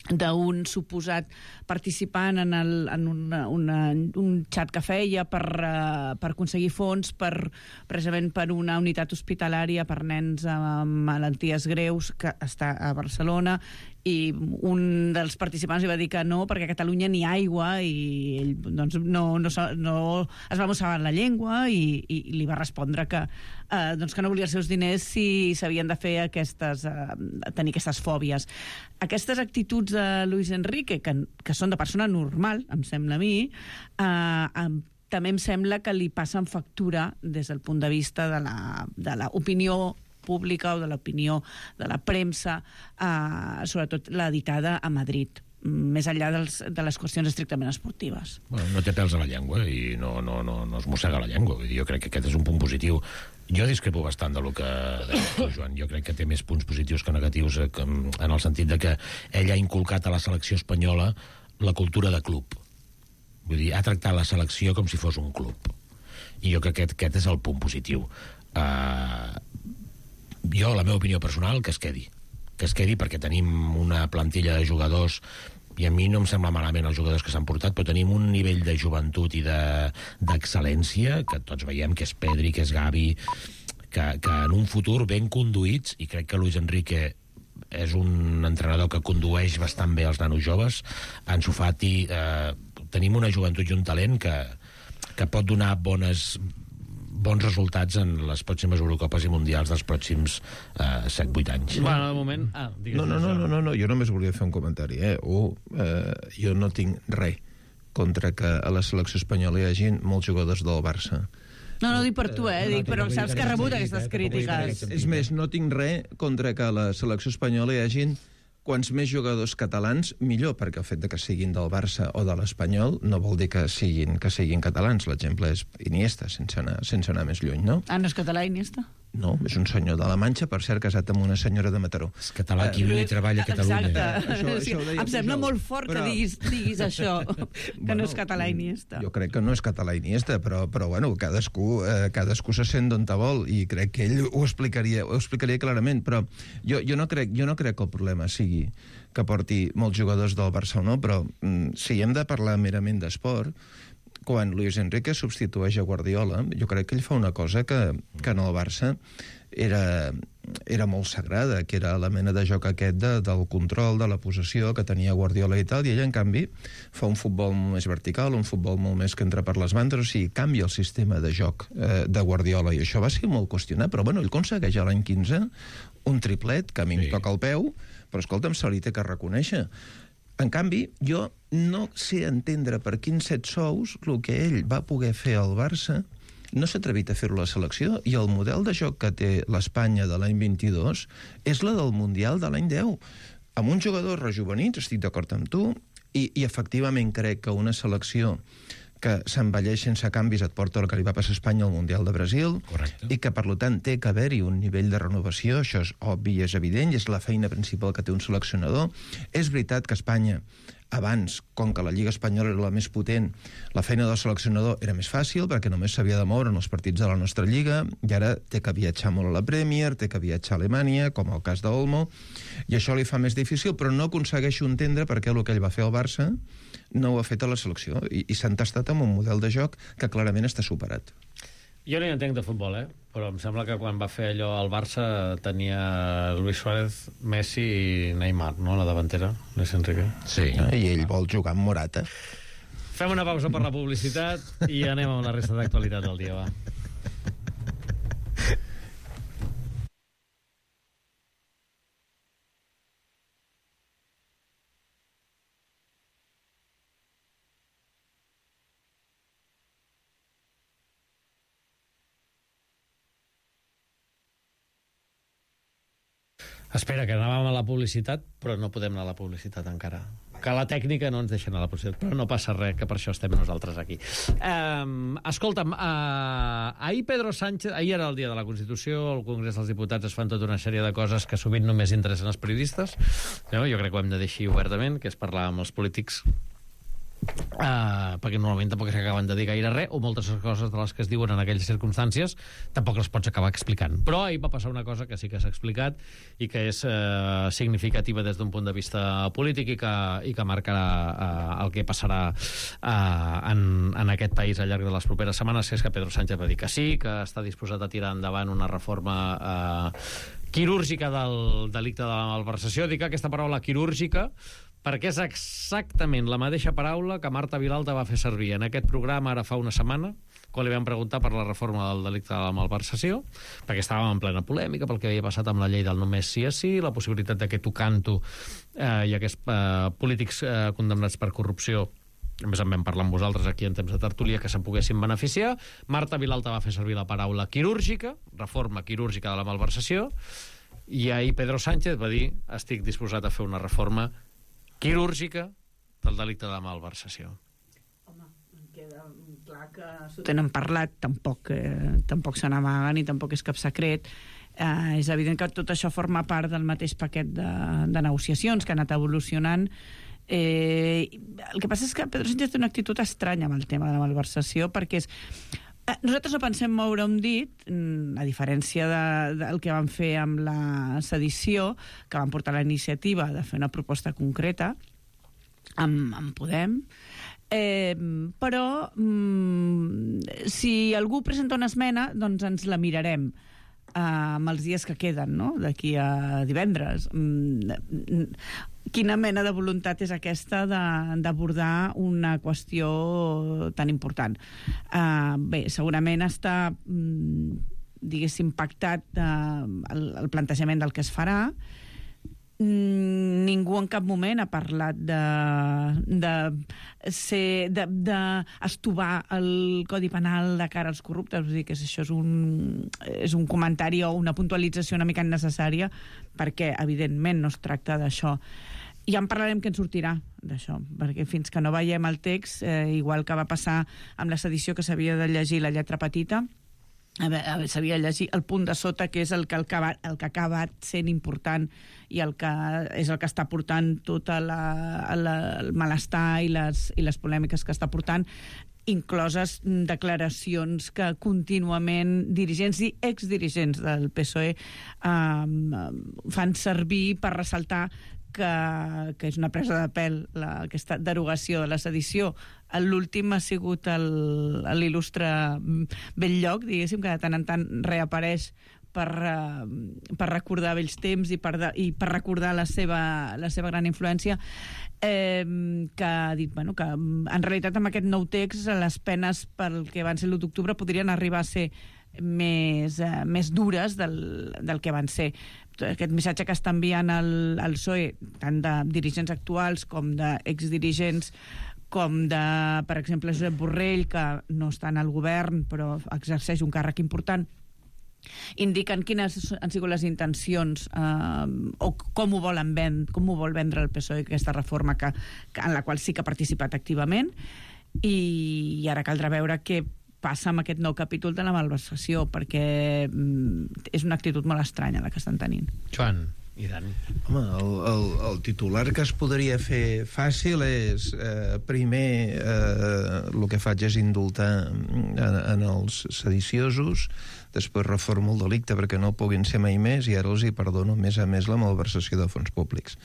d'un suposat participant en, el, en una, una, un xat que feia per, uh, per aconseguir fons per, precisament per una unitat hospitalària per nens amb malalties greus que està a Barcelona, i un dels participants li va dir que no, perquè a Catalunya n'hi ha aigua, i ell doncs, no, no, no es va mossegar la llengua i, i li va respondre que, eh, doncs que no volia els seus diners si s'havien de fer aquestes, eh, tenir aquestes fòbies. Aquestes actituds de Luis Enrique, que, que són de persona normal, em sembla a mi, eh, eh, també em sembla que li passen factura des del punt de vista de la, de l'opinió pública o de l'opinió de la premsa, eh, sobretot l'editada a Madrid. més enllà dels, de les qüestions estrictament esportives. Bueno, no té pèls a la llengua i no, no, no, no es mossega la llengua. Vull dir, jo crec que aquest és un punt positiu. Jo discrepo bastant del que deia tu, Joan. Jo crec que té més punts positius que negatius, en el sentit de que ell ha inculcat a la selecció espanyola la cultura de club. Vull dir, ha tractat la selecció com si fos un club. I jo crec que aquest, aquest és el punt positiu. Uh, jo, la meva opinió personal, que es quedi. que es quedi perquè tenim una plantilla de jugadors i a mi no em sembla malament els jugadors que s'han portat, però tenim un nivell de joventut i d'excel·lència, que tots veiem que és Pedri, que és Gavi, que, que en un futur ben conduïts, i crec que Luis Enrique és un entrenador que condueix bastant bé els nanos joves, Ansu Fati, eh, tenim una joventut i un talent que, que pot donar bones... bons resultats en les pròximes Eurocopes i Mundials dels pròxims eh, set vuit anys. Bueno, de moment... Ah, no, no, no, no, no, no, jo només volia fer un comentari. Eh? O, eh, jo no tinc res contra que a la selecció espanyola hi hagi molts jugadors del Barça. No, no dic per tu, eh? Dic, però saps que ha rebut aquestes crítiques. És més, no tinc res contra que a la selecció espanyola hi hagi quants més jugadors catalans, millor, perquè el fet de que siguin del Barça o de l'Espanyol no vol dir que siguin, que siguin catalans. L'exemple és Iniesta, sense anar, sense anar més lluny, no? Ah, no és català, Iniesta? No, és un senyor de la Manxa, per cert, casat amb una senyora de Mataró. És català, qui viu i treballa a Catalunya. Exacte. Això, això ho deia em sembla Pujol, molt fort però... que diguis, diguis això, que bueno, no és català Iniesta. Jo crec que no és català Iniesta, però, però bueno, cadascú, eh, cadascú se sent d'on te vol, i crec que ell ho explicaria, ho explicaria clarament, però jo, jo, no crec, jo no crec que el problema sigui que porti molts jugadors del Barça o no, però mm, si hem de parlar merament d'esport, quan Luis Enrique substitueix a Guardiola, jo crec que ell fa una cosa que, que en el Barça era, era molt sagrada, que era la mena de joc aquest de, del control, de la possessió que tenia Guardiola i tal, i ell, en canvi, fa un futbol molt més vertical, un futbol molt més que entra per les bandes, o sigui, canvia el sistema de joc eh, de Guardiola, i això va ser molt qüestionat, però bueno, ell aconsegueix a l'any quinze un triplet, que a mi sí. em toca el peu, però escolta'm, se li té que reconèixer. En canvi, jo no sé entendre per quins set sous el que ell va poder fer al Barça no s'ha atrevit a fer-ho a la selecció, i el model de joc que té l'Espanya de l'any vint-i-dos és la del Mundial de l'any deu. Amb uns jugadors rejuvenits, estic d'acord amb tu, i, i efectivament crec que una selecció que s'envelleix sense canvis et porta el que li va passar a Espanya al Mundial de Brasil. Correcte. I que, per tant, té que haver-hi un nivell de renovació, això és obvi i és evident, i és la feina principal que té un seleccionador. És veritat que Espanya, abans, com que la Lliga Espanyola era la més potent, la feina del seleccionador era més fàcil, perquè només s'havia de moure en els partits de la nostra Lliga, i ara té que viatjar molt a la Premier, té que viatjar a Alemanya, com el cas d'Olmo, i això li fa més difícil, però no aconsegueixo entendre per què el que ell va fer al Barça no ho ha fet a la selecció, i, i s'ha entastat amb un model de joc que clarament està superat. Jo no hi entenc de futbol, eh? Però em sembla que quan va fer allò al Barça tenia Luis Suárez, Messi i Neymar, no?, la davantera, Luis Enrique. Sí. Ah, i ell vol jugar amb Morata. Fem una pausa per la publicitat i anem amb la resta d'actualitat del dia, va. Espera, que anàvem a la publicitat, però no podem anar a la publicitat encara. Que la tècnica no ens deixa anar a la publicitat, però no passa res, que per això estem nosaltres aquí. Um, escolta'm, uh, ahir Pedro Sánchez, ahir era el dia de la Constitució, al Congrés dels Diputats es fan tota una sèrie de coses que sovint només interessen els periodistes. No? Jo crec que ho hem de dir així obertament, que és parlar amb els polítics, Uh, perquè normalment tampoc s'acaben de dir gaire res, o moltes coses de les que es diuen en aquelles circumstàncies tampoc les pots acabar explicant. Però ahir va passar una cosa que sí que s'ha explicat i que és uh, significativa des d'un punt de vista polític i que, i que marcarà uh, el que passarà uh, en, en aquest país al llarg de les properes setmanes, que és que Pedro Sánchez va dir que sí, que està disposat a tirar endavant una reforma uh, quirúrgica del delicte de la malversació. Dic aquesta paraula quirúrgica perquè és exactament la mateixa paraula que Marta Vilalta va fer servir en aquest programa ara fa una setmana, quan li vam preguntar per la reforma del delicte de la malversació, perquè estàvem en plena polèmica pel que havia passat amb la llei del només sí és sí, la possibilitat de que Tocanto eh, i aquests eh, polítics eh, condemnats per corrupció, a més en vam parlar amb vosaltres aquí en temps de tertúlia, que se'n poguessin beneficiar. Marta Vilalta va fer servir la paraula quirúrgica, reforma quirúrgica de la malversació, i ahir Pedro Sánchez va dir estic disposat a fer una reforma quirúrgica del delicte de malversació. Home, em queda clar que s'ho tenen parlat, tampoc, eh, tampoc se n'amaguen i tampoc és cap secret. Eh, és evident que tot això forma part del mateix paquet de, de negociacions que ha anat evolucionant. Eh, el que passa és que Pedro Sánchez té una actitud estranya amb el tema de la malversació, perquè és... Eh, nosaltres no pensem moure un dit, a diferència de, del que van fer amb la sedició, que van portar la iniciativa de fer una proposta concreta amb, amb Podem, eh, però mm, si algú presenta una esmena, doncs ens la mirarem amb els dies que queden, no?, d'aquí a divendres. Quina mena de voluntat és aquesta d'abordar una qüestió tan important? Uh, bé, segurament està, diguéssim, pactat uh, el, el plantejament del que es farà. Ningú en cap moment ha parlat de, de, ser, de, de estovar el Codi Penal de cara als corruptes. Vull dir que això és un, és un comentari o una puntualització una mica innecessària, perquè evidentment no es tracta d'això. Ja en parlarem que en sortirà d'això, perquè fins que no veiem el text, eh, igual que va passar amb la sedició, que s'havia de llegir la lletra petita, s'havia de llegir el punt de sota, que és el que, el que, va, el que ha acabat sent important i el que és el que està portant tot la, la, el malestar i les, i les polèmiques que està portant, incloses declaracions que contínuament dirigents i exdirigents del P S O E eh, fan servir per ressaltar que, que és una presa de pèl la, aquesta derogació de la sedició. L'últim ha sigut l'il·lustre Belllloc, diguéssim, que de tant en tant reapareix per, uh, per recordar vells temps i per, de, i per recordar la seva, la seva gran influència, eh, que ha dit, bueno, que en realitat amb aquest nou text les penes pel que van ser l'u d'octubre podrien arribar a ser més, eh, més dures del, del que van ser. Aquest missatge que està enviant el, el P S O E, tant de dirigents actuals com d'exdirigents, com de, per exemple, Josep Borrell, que no està en el govern però exerceix un càrrec important, indiquen quines han sigut les intencions eh, o com ho volen vendre, com ho vol vendre el P S O E, aquesta reforma que, que, en la qual sí que ha participat activament, i, i ara caldrà veure què passa amb aquest nou capítol de la malversació, perquè mm, és una actitud molt estranya la que estan tenint. Joan i Dani. Home, el, el, el titular que es podria fer fàcil és eh, primer eh, el que faig és indultar en, en els sediciosos, després reformo el delicte perquè no puguin ser mai més, i ara els hi perdono més a més la malversació de fons públics,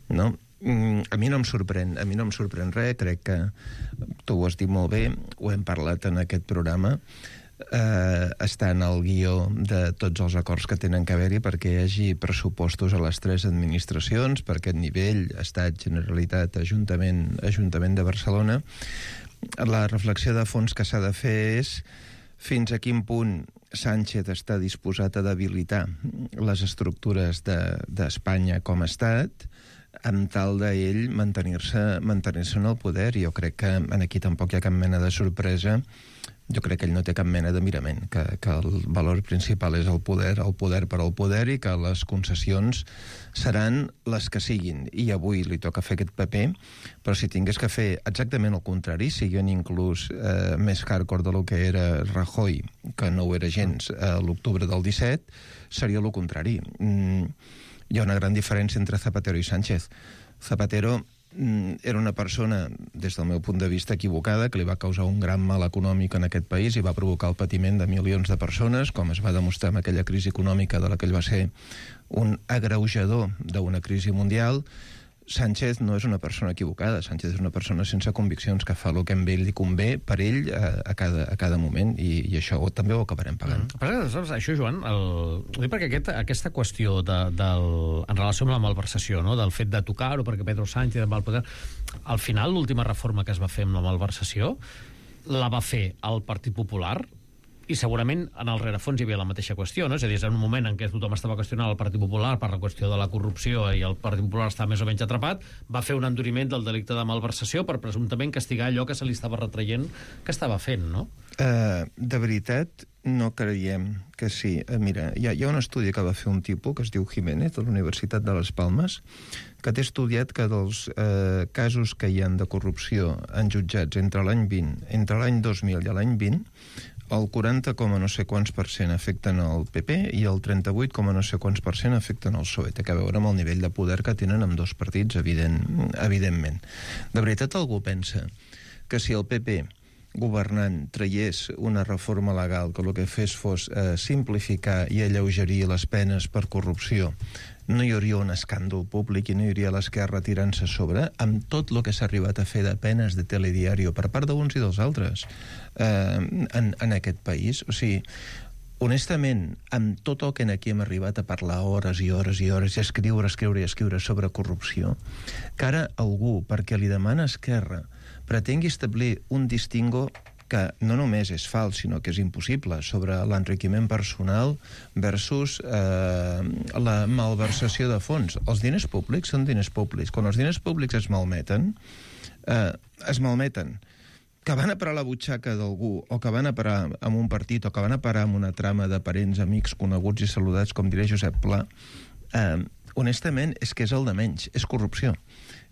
no? A mi no em sorprèn, a mi no em sorprèn res, crec que tu ho has dit molt bé, ho hem parlat en aquest programa, eh, està en el guió de tots els acords que tenen que haver-hi perquè hi hagi pressupostos a les tres administracions, per aquest nivell, Estat, Generalitat, Ajuntament, Ajuntament de Barcelona. La reflexió de fons que s'ha de fer és fins a quin punt Sánchez està disposat a debilitar les estructures d'Espanya de, com a estat, amb tal d'ell mantenir-se mantenir-se en el poder. Jo crec que aquí tampoc hi ha cap mena de sorpresa. Jo crec que ell no té cap mena de mirament, que, que el valor principal és el poder, el poder per al poder, i que les concessions seran les que siguin. I avui li toca fer aquest paper, però si tingués que fer exactament el contrari, siguin inclús eh, més hardcore del que era Rajoy, que no ho era gens a eh, l'octubre del disset, seria el contrari. Mm, hi ha una gran diferència entre Zapatero i Sánchez. Zapatero mm, era una persona, des del meu punt de vista, equivocada, que li va causar un gran mal econòmic en aquest país i va provocar el patiment de milions de persones, com es va demostrar amb aquella crisi econòmica de la que ell va ser un agreujador d'una crisi mundial. Sánchez no és una persona equivocada, Sánchez és una persona sense conviccions, que fa el que a ell li convé per ell a, a, cada, a cada moment, i, i això també ho acabarem pagant. Mm. Però, saps, això, Joan, el... ho dic perquè aquest, aquesta qüestió de, del... en relació amb la malversació, no? Del fet de tocar-ho perquè Pedro Sánchez va al poder, al final l'última reforma que es va fer amb la malversació la va fer el Partit Popular, i segurament en el rerefons hi havia la mateixa qüestió, no? És a dir, és en un moment en què tothom estava qüestionant el Partit Popular per la qüestió de la corrupció i el Partit Popular estava més o menys atrapat, va fer un enduriment del delicte de malversació per presumptament castigar allò que se li estava retraient que estava fent, no? Uh, de veritat, no creiem que sí. Mira, hi ha, hi ha un estudi que va fer un tipus que es diu Jiménez, de la Universitat de les Palmes, que té estudiat que dels eh, casos que hi ha de corrupció en jutjats entre l'any vint, entre l'any dos mil i l'any vint, el quaranta coma no sé quants per cent afecten el P P i el trenta-vuit coma no sé quants per cent afecten el P S O E. Té a veure amb el nivell de poder que tenen amb dos partits, evident, evidentment. De veritat, algú pensa que si el P P governant traiés una reforma legal que el que fes fos eh, simplificar i alleugerir les penes per corrupció, no hi hauria un escàndol públic i no hi hauria l'esquerra tirant-se a sobre amb tot el que s'ha arribat a fer de penes de telediario per part d'uns i dels altres eh, en, en aquest país. O sigui, honestament, amb tot el que aquí hem arribat a parlar hores i hores i hores i escriure, escriure i escriure sobre corrupció, que ara algú, perquè li demana Esquerra, pretengui establir un distingo que no només és fals, sinó que és impossible, sobre l'enriquiment personal versus eh, la malversació de fons. Els diners públics són diners públics. Quan els diners públics es malmeten, eh, es malmeten. Que van a parar la butxaca d'algú, o que van a parar amb un partit, o que van a parar amb una trama de parents, amics, coneguts i saludats, com diré Josep Pla, eh, honestament, és que és el de menys, és corrupció.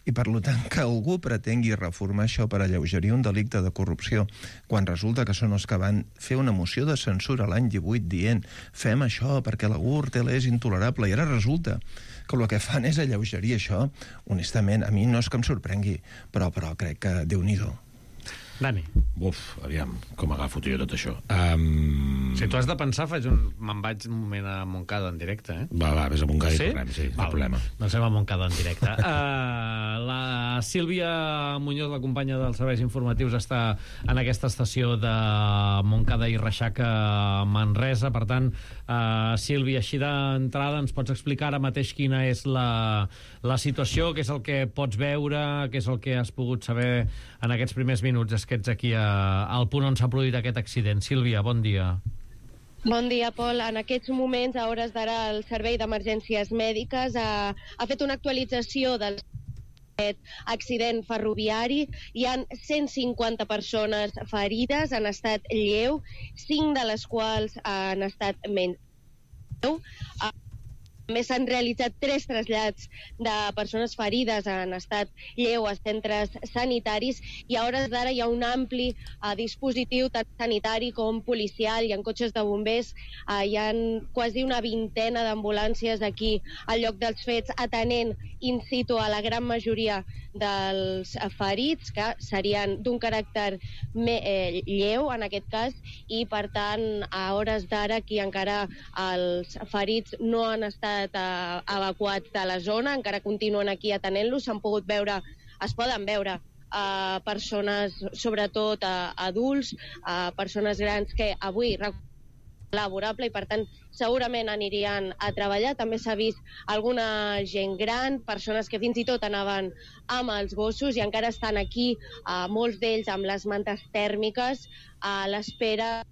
I per tant que algú pretengui reformar això per alleugerir un delicte de corrupció, quan resulta que són els que van fer una moció de censura l'any divuit dient fem això perquè la Gürtel és intolerable, i ara resulta que el que fan és alleugerir això, honestament, a mi no és que em sorprengui, però, però crec que Déu-n'hi-do. Dani. Uf, aviam, com agafo jo tot això. Um... Si tu has de pensar, faig un... me'n vaig un moment a Montcada en directe, eh? Va, va, vés a Montcada sí? i tornem, sí, no hi ha problema. Doncs anem a Montcada en directe. uh, la Sílvia Muñoz, la companya dels serveis informatius, està en aquesta estació de Montcada i Reixac a Manresa. Per tant, uh, Sílvia, així d'entrada, ens pots explicar ara mateix quina és la, la situació, què és el que pots veure, què és el que has pogut saber en aquests primers minuts que ets aquí a, al punt on s'ha produït aquest accident. Sílvia, bon dia. Bon dia, Pol. En aquests moments, a hores d'ara, el Servei d'Emergències Mèdiques ha, ha fet una actualització del accident ferroviari. Hi ha cent cinquanta persones ferides en estat lleu, cinc de les quals han estat menys lleu. També s'han realitzat tres trasllats de persones ferides en estat lleu a centres sanitaris, i a hores d'ara hi ha un ampli uh, dispositiu tant sanitari com policial. Hi ha cotxes de bombers, uh, hi ha quasi una vintena d'ambulàncies aquí al lloc dels fets, atenent in situ a la gran majoria dels ferits, que serien d'un caràcter me, eh, lleu en aquest cas, i per tant a hores d'ara aquí encara els ferits no han estat eh, evacuats de la zona, encara continuen aquí atenent-los. S'han pogut veure, es poden veure eh, persones, sobretot eh, adults, eh, persones grans que avui laborable i per tant segurament anirien a treballar. També s'ha vist alguna gent gran, persones que fins i tot anaven amb els gossos i encara estan aquí, eh, molts d'ells amb les mantes tèrmiques a l'espera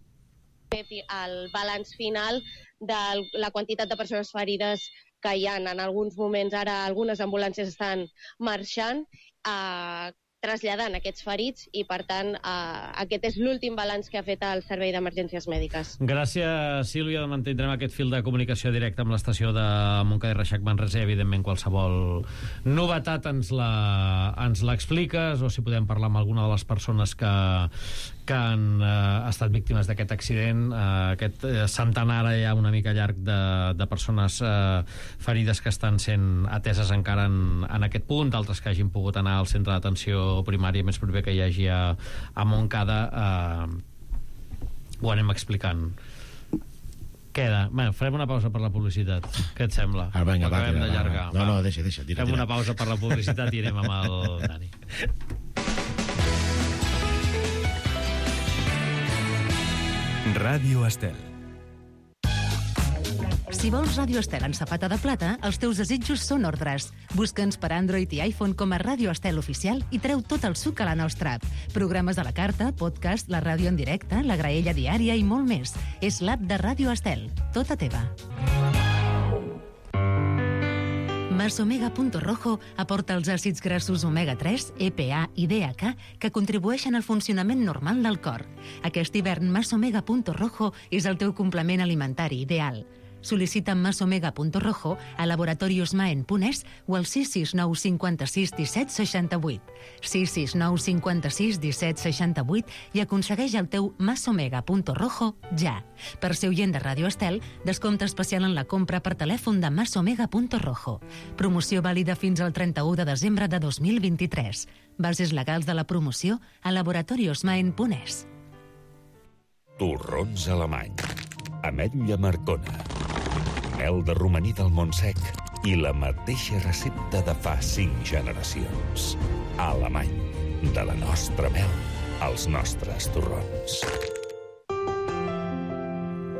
del balanç final de la quantitat de persones ferides que hi ha. En alguns moments ara algunes ambulàncies estan marxant a eh, traslladant aquests ferits i, per tant, eh, aquest és l'últim balanç que ha fet el Servei d'Emergències Mèdiques. Gràcies, Sílvia. Mantindrem aquest fil de comunicació directe amb l'estació de Montcada i Reixac Manresa i, evidentment, qualsevol novetat ens la, ens l'expliques, o si podem parlar amb alguna de les persones que, que han eh, estat víctimes d'aquest accident. Eh, aquest eh, centenar ja una mica llarg de, de persones eh, ferides que estan sent ateses encara en, en aquest punt, d'altres que hagin pogut anar al centre d'atenció primària més proper que hi hagi a, a Montcada. Eh, ho anem explicant. Queda. Bé, farem una pausa per la publicitat. Què et sembla? Ah, venga, va, acabem tira, d'allargar. va. No, no, deixa, deixa. Tira, Fem tira. una pausa per la publicitat i anem amb el Dani. Ràdio Estel. Si vols Ràdio Estel en safata de plata, els teus desitjos són ordres. Busca'ns per Android i iPhone com a Ràdio Estel Oficial i treu tot el suc a la nostra app. Programes a la carta, podcast, la ràdio en directe, la graella diària i molt més. És l'app de Ràdio Estel, tota teva. Masomega.rojo aporta els àcids grassos omega tres, E P A i D H A que contribueixen al funcionament normal del cor. Aquest hivern Masomega.rojo és el teu complement alimentari ideal. Sol·licita Masomega.rojo a Laboratorios Maen Punès o al sis sis nou cinquanta-sis disset seixanta-vuit. sis sis nou cinquanta-sis disset seixanta-vuit i aconsegueix el teu Masomega.rojo ja. Per ser oient de Ràdio Estel, descompte especial en la compra per telèfon de Masomega.rojo. Promoció vàlida fins al trenta-u de desembre de dos mil vint-i-tres. Bases legals de la promoció a Laboratorios Maen Punès. Torrons alemany. Ametlla Marcona. Mel de romaní del Montsec i la mateixa recepta de fa cinc generacions. Alemany. De la nostra mel als nostres torrons.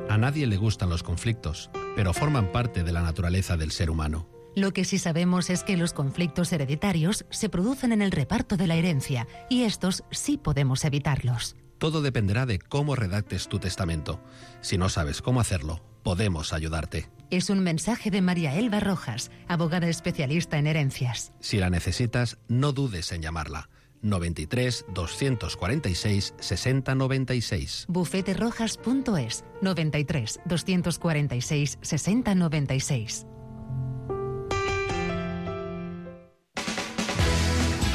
A nadie le gustan los conflictos, pero forman parte de la naturaleza del ser humano. Lo que sí sabemos es que los conflictos hereditarios se producen en el reparto de la herencia y estos sí podemos evitarlos. Todo dependerá de cómo redactes tu testamento. Si no sabes cómo hacerlo, podemos ayudarte. Es un mensaje de María Elba Rojas, abogada especialista en herencias. Si la necesitas, no dudes en llamarla. noventa y tres, doscientos cuarenta y seis, sesenta noventa y seis. bufete rojas punto es, noventa y tres, doscientos cuarenta y seis, sesenta noventa y seis.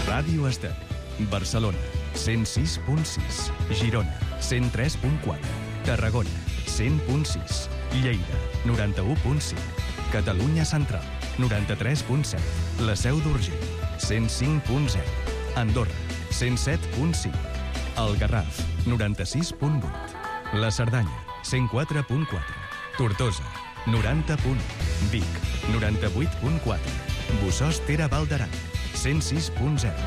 Ràdio Estel, Barcelona, cent sis punt sis, Girona, cent tres punt quatre, Tarragona, cent punt sis, Lleida, noranta-u punt cinc, Catalunya Central, noranta-tres punt set, La Seu d'Urgell, cent cinc punt zero, Andorra, cent set punt cinc, El Garraf, noranta-sis punt vuit, La Cerdanya, cent quatre punt quatre, Tortosa, noranta punt u, Vic, noranta-vuit punt quatre, Bossòst Tere Val d'Aran, cent sis punt zero.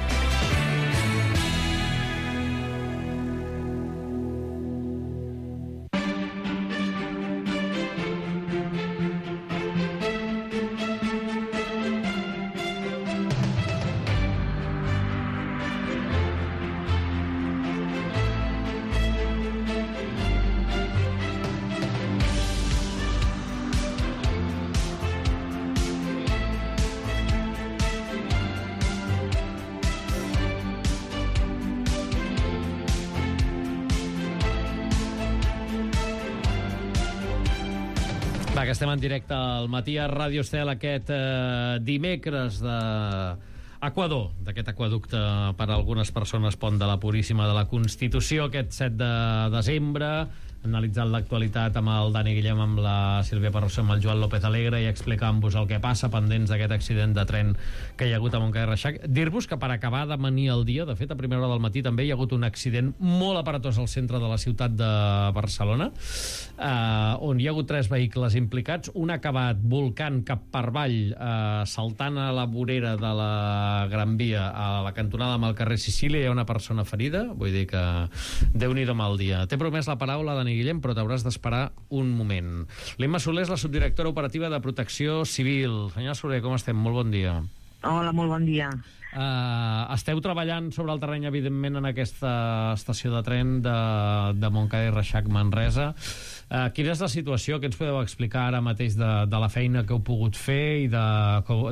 Va, que estem en directe al matí a Ràdio Estel aquest eh, dimecres de Equador, d'aquest aqüeducte per a algunes persones Pont de la Puríssima de la Constitució, aquest set de desembre, analitzant l'actualitat amb el Dani Guillem, amb la Sílvia Parrossa, amb el Joan López Alegre i explicant-vos el que passa, pendents d'aquest accident de tren que hi ha hagut a Montcada i Reixac. Dir-vos que per acabar d'amanir el dia, de fet, a primera hora del matí també hi ha hagut un accident molt aparatós al centre de la ciutat de Barcelona, eh, on hi ha hagut tres vehicles implicats, un ha acabat volcant cap per avall, eh, saltant a la vorera de la Gran Via a la cantonada amb el carrer Sicília, hi ha una persona ferida, vull dir que Déu-n'hi-do mal dia. T'he promès la paraula, Dani Guillem, però t'hauràs d'esperar un moment. L'Imma Soler és la subdirectora operativa de Protecció Civil. Senyora Soler, com estem? Molt bon dia. Hola, molt bon dia. Uh, esteu treballant sobre el terreny, evidentment, en aquesta estació de tren de, de Montcada i Reixac, Manresa. Uh, quina és la situació? Què ens podeu explicar ara mateix de, de la feina que heu pogut fer i de,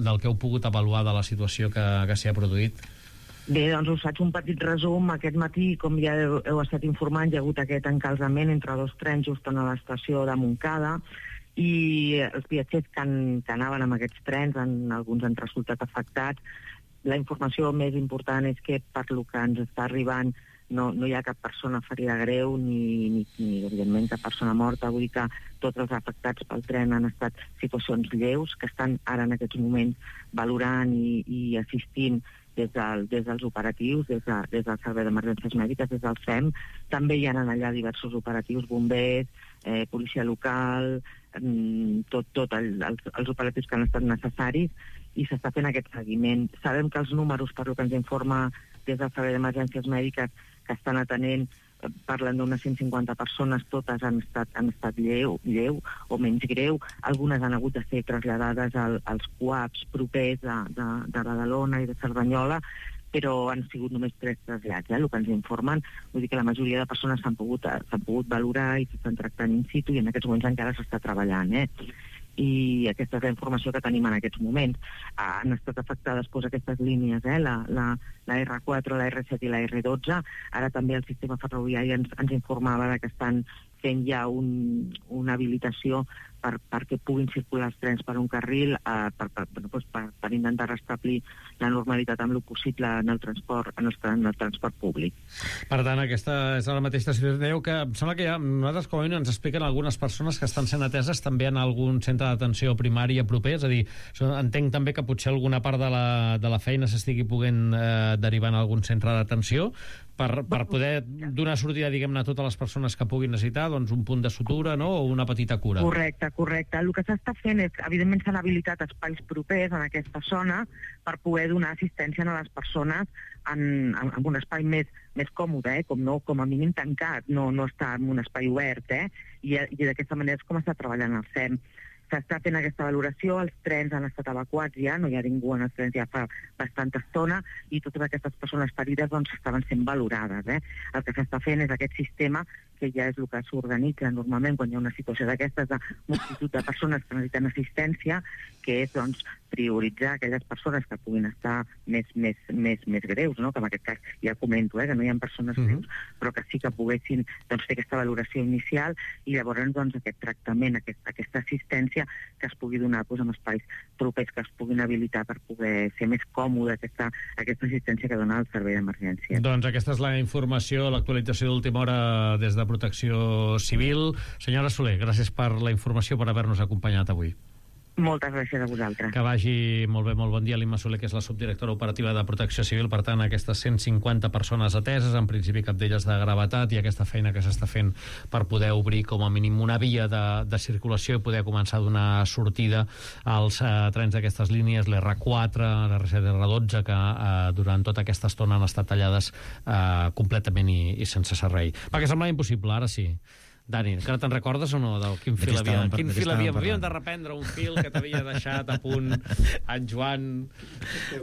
del que heu pogut avaluar de la situació que, que s'hi ha produït? Bé, doncs us faig un petit resum. Aquest matí, com ja heu, heu estat informant, hi ha hagut aquest encalzament entre dos trens just a l'estació de Montcada i els viatgers que, han, que anaven amb aquests trens, en, alguns han resultat afectats. La informació més important és que, per lo que ens està arribant, no, no hi ha cap persona ferida greu ni, ni, ni, evidentment, cap persona morta. Vull dir que tots els afectats pel tren han estat situacions lleus, que estan ara en aquests moments valorant i, i assistint des, del, des dels operatius, des, de, des del Servei d'Emergències Mèdiques, des del S E M. També hi ha allà diversos operatius, bombers, eh, policia local, mm, tot, tot el, els, els operatius que han estat necessaris, i s'està fent aquest seguiment. Sabem que els números, per lo que ens informa des del Servei d'Emergències Mèdiques, que estan atenent, parlen d'unes cent cinquanta persones, totes han estat, han estat lleu, lleu o menys greu. Algunes han hagut de ser traslladades al, als C U A Ps propers de, de, de Badalona i de Cerdanyola, però han sigut només tres trasllats, eh, el que ens informen. Vull dir que la majoria de persones s'han pogut, s'han pogut valorar i s'estan tractant in situ, i en aquests moments encara s'està treballant. Eh? i aquesta és la informació que tenim en aquests moments. Han estat afectades doncs, aquestes línies, eh? la, la, la erre quatre, la erre set i la erre dotze. Ara també el sistema ferroviari ens, ens informava que estan fent ja un, una habilitació per, perquè puguin circular els trens per un carril eh, per, per, doncs, per, per intentar restablir la normalitat amb el possible en el transport, en el, en el transport públic. Per tant, aquesta és la mateixa situació. Dèieu que em sembla que ja, nosaltres com a mínim ens expliquen algunes persones que estan sent ateses també en algun centre d'atenció primària proper, és a dir, entenc també que potser alguna part de la, de la feina s'estigui poguent eh, derivar en algun centre d'atenció per, per poder donar sortida, diguem-ne, a totes les persones que puguin necessitar, doncs un punt de sutura, no?, o una petita cura. Correcte, correcte. El que s'està fent és, evidentment, s'han habilitat espais propers en aquesta zona per poder donar assistència a les persones en, en, en un espai més, més còmode, eh? com, no, com a mínim tancat, no, no està en un espai obert, eh? I, i d'aquesta manera és com està treballant el S E M. S'està fent aquesta valoració, els trens han estat evacuats ja, no hi ha ningú en els trens ja fa bastanta estona, i totes aquestes persones ferides doncs, estaven sent valorades. Eh? El que s'està fent és aquest sistema, que ja és el que s'organitza normalment quan hi ha una situació d'aquestes, de multitud de persones que necessiten assistència, que és doncs, prioritzar aquelles persones que puguin estar més, més, més, més greus, no? Que en aquest cas ja comento eh, que no hi ha persones uh-huh. greus, però que sí que poguessin doncs, fer aquesta valoració inicial i llavors doncs, aquest tractament, aquest, aquesta assistència que es pugui donar doncs, en espais propers que es puguin habilitar per poder ser més còmode aquesta, aquesta assistència que dona el servei d'emergència. Doncs aquesta és la informació, l'actualització d'última hora des de Protecció Civil. Senyora Soler, gràcies per la informació, per haver-nos acompanyat avui. Moltes gràcies a vosaltres. Que vagi molt bé, molt bon dia. L'Imma Soler, que és la subdirectora operativa de Protecció Civil, per tant, aquestes cent cinquanta persones ateses, en principi cap d'elles de gravetat, i aquesta feina que s'està fent per poder obrir com a mínim una via de, de circulació i poder començar a donar sortida als eh, trens d'aquestes línies, l'erre quatre, l'erre set, l'erre dotze, que eh, durant tota aquesta estona han estat tallades eh, completament i, i sense servei. Perquè semblava impossible, ara sí. Dani, encara te'n recordes o no del quin fil havia? Quin fil havia? Havíem de reprendre un fil que t'havia deixat a punt en Joan.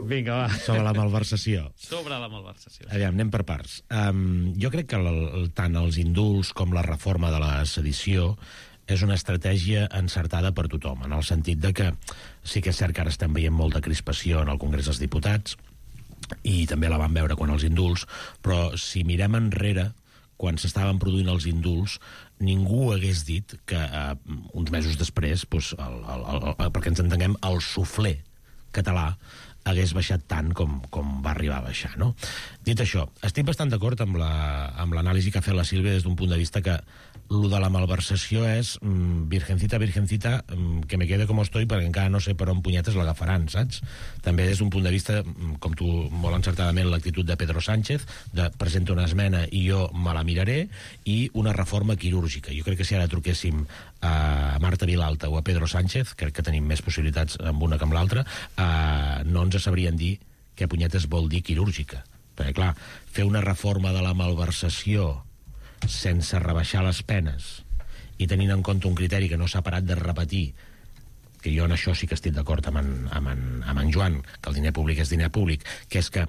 Vinga, va. Sobre la malversació. Sobre la malversació. Aviam, anem per parts. Um, jo crec que el, el, tant els indults com la reforma de la sedició és una estratègia encertada per tothom, en el sentit de que sí que és cert que ara estem veient molta crispació en el Congrés dels Diputats, i també la vam veure quan els indults, però si mirem enrere, quan s'estaven produint els indults, ningú hagués dit que eh, uns mesos després, doncs, el, el, el, el, perquè ens entenguem, el suflé català hagués baixat tant com, com va arribar a baixar, no? Dit això, estic bastant d'acord amb la, amb l'anàlisi que ha fet la Sílvia des d'un punt de vista que lo de la malversació és mm, virgencita, virgencita, mm, que me quede com estoy perquè encara no sé per on punyetes l'agafaran, saps? També des d'un punt de vista, mm, com tu molt encertadament, l'actitud de Pedro Sánchez, de presenta una esmena i jo me la miraré, i una reforma quirúrgica. Jo crec que si ara truquéssim a Marta Vilalta o a Pedro Sánchez, crec que tenim més possibilitats amb una que amb l'altra, eh, no ens sabrien dir què punyetes vol dir quirúrgica. Perquè, clar, fer una reforma de la malversació sense rebaixar les penes i tenint en compte un criteri que no s'ha parat de repetir, que jo en això sí que estic d'acord amb, en, amb, en, amb en Joan, que el diner públic és diner públic, que és que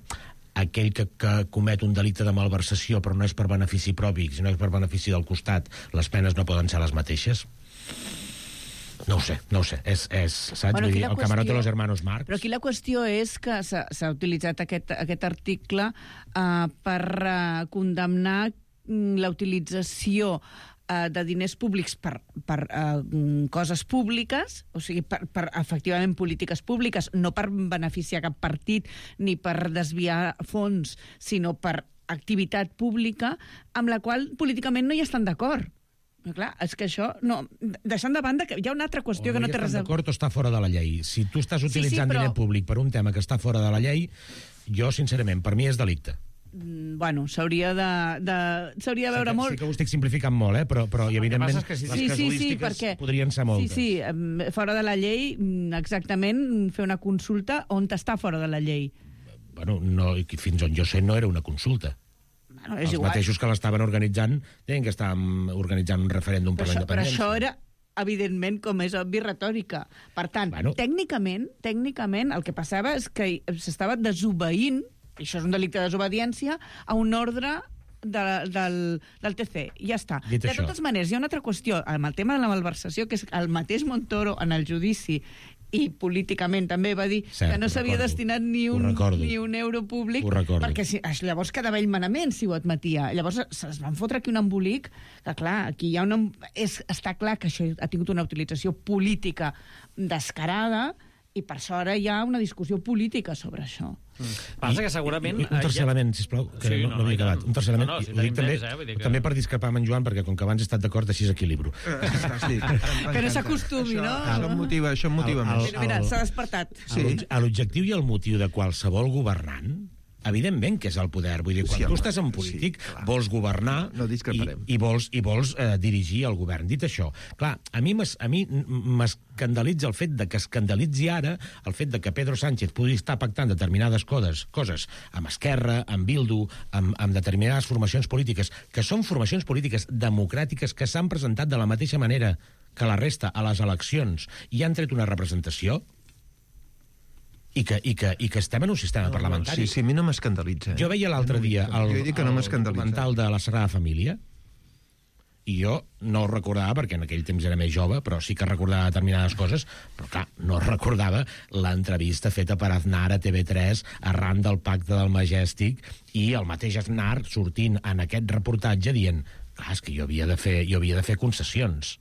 aquell que, que comet un delicte de malversació però no és per benefici propi, sinó és per benefici del costat, les penes no poden ser les mateixes. No ho sé, no ho sé. És, és, saps? Bueno, Vull dir, el qüestió... camarote de los hermanos Marx. Però aquí la qüestió és que s'ha utilitzat aquest, aquest article uh, per uh, condemnar la utilització uh, de diners públics per, per uh, coses públiques, o sigui, per, per efectivament polítiques públiques, no per beneficiar cap partit ni per desviar fons, sinó per activitat pública, amb la qual políticament no hi estan d'acord. Però clar, és que això... No, deixant de banda que hi ha una altra qüestió o que no té res a... d'acord o està fora de la llei. Si tu estàs utilitzant sí, sí, però... diner públic per un tema que està fora de la llei, jo, sincerament, per mi és delicte. Bueno, s'hauria de, de, s'hauria de veure sí que, molt... Sí que ho estic simplificant molt, eh? però, però i evidentment que sí, les sí, casuístiques sí, sí, perquè... podrien ser moltes. Sí, sí, fora de la llei, exactament, fer una consulta on està fora de la llei. Bueno, no, fins on jo sé no era una consulta. Bueno, és Els igual. mateixos que l'estaven organitzant deien que estàvem organitzant un referèndum per la independència. Però això era, evidentment, com és obvi, retòrica. Per tant, bueno. tècnicament, tècnicament, el que passava és que s'estava desobeint, i això és un delicte de desobediència, a un ordre de, del, del T C. Ja està. Dit de això. totes maneres, hi ha una altra qüestió amb el tema de la malversació, que és el mateix Montoro en el judici i políticament també va dir Cert, que no s'havia recordo. destinat ni un, ni un euro públic, perquè si, llavors quedava ell manament si ho admetia. Llavors es van fotre aquí un embolic que, clar, aquí hi ha una... És, està clar que això ha tingut una utilització política descarada i per això ara hi ha una discussió política sobre això. Mm. Passa que segurament... Un, un tercer ja... element, sisplau, que sí, no, no, no havia acabat. Un tercer element, no, no, si ho dic també, temps, eh? que... també per discrepar amb en Joan, perquè com que abans he estat d'acord, així equilibro. Que no s'acostumi, no? Això em motiva, això em motiva més. Mira, mira s'ha despertat. Sí. L'objectiu i el motiu de qualsevol governant, evidentment que és el poder. Vull dir, quan sí, tu estàs en polític, sí, vols governar no, no i, i vols, i vols eh, dirigir el govern. Dit això, clar, a mi m'escandalitza el fet de que escandalitzi ara el fet de que Pedro Sánchez pugui estar pactant determinades coses, coses amb Esquerra, amb Bildu, amb, amb determinades formacions polítiques, que són formacions polítiques democràtiques que s'han presentat de la mateixa manera que la resta a les eleccions i han tret una representació, I que, i, que, i que estem en un sistema no, parlamentari. Sí, sí, a mi no m'escandalitza. Eh? Jo veia l'altre no, dia el, no el documental de la Sagrada Família i jo no ho recordava, perquè en aquell temps era més jove, però sí que recordava determinades coses, però clar, no recordava l'entrevista feta per Aznar a T V tres arran del pacte del Majestic i el mateix Aznar sortint en aquest reportatge dient, clar, és que jo havia de fer, jo havia de fer concessions.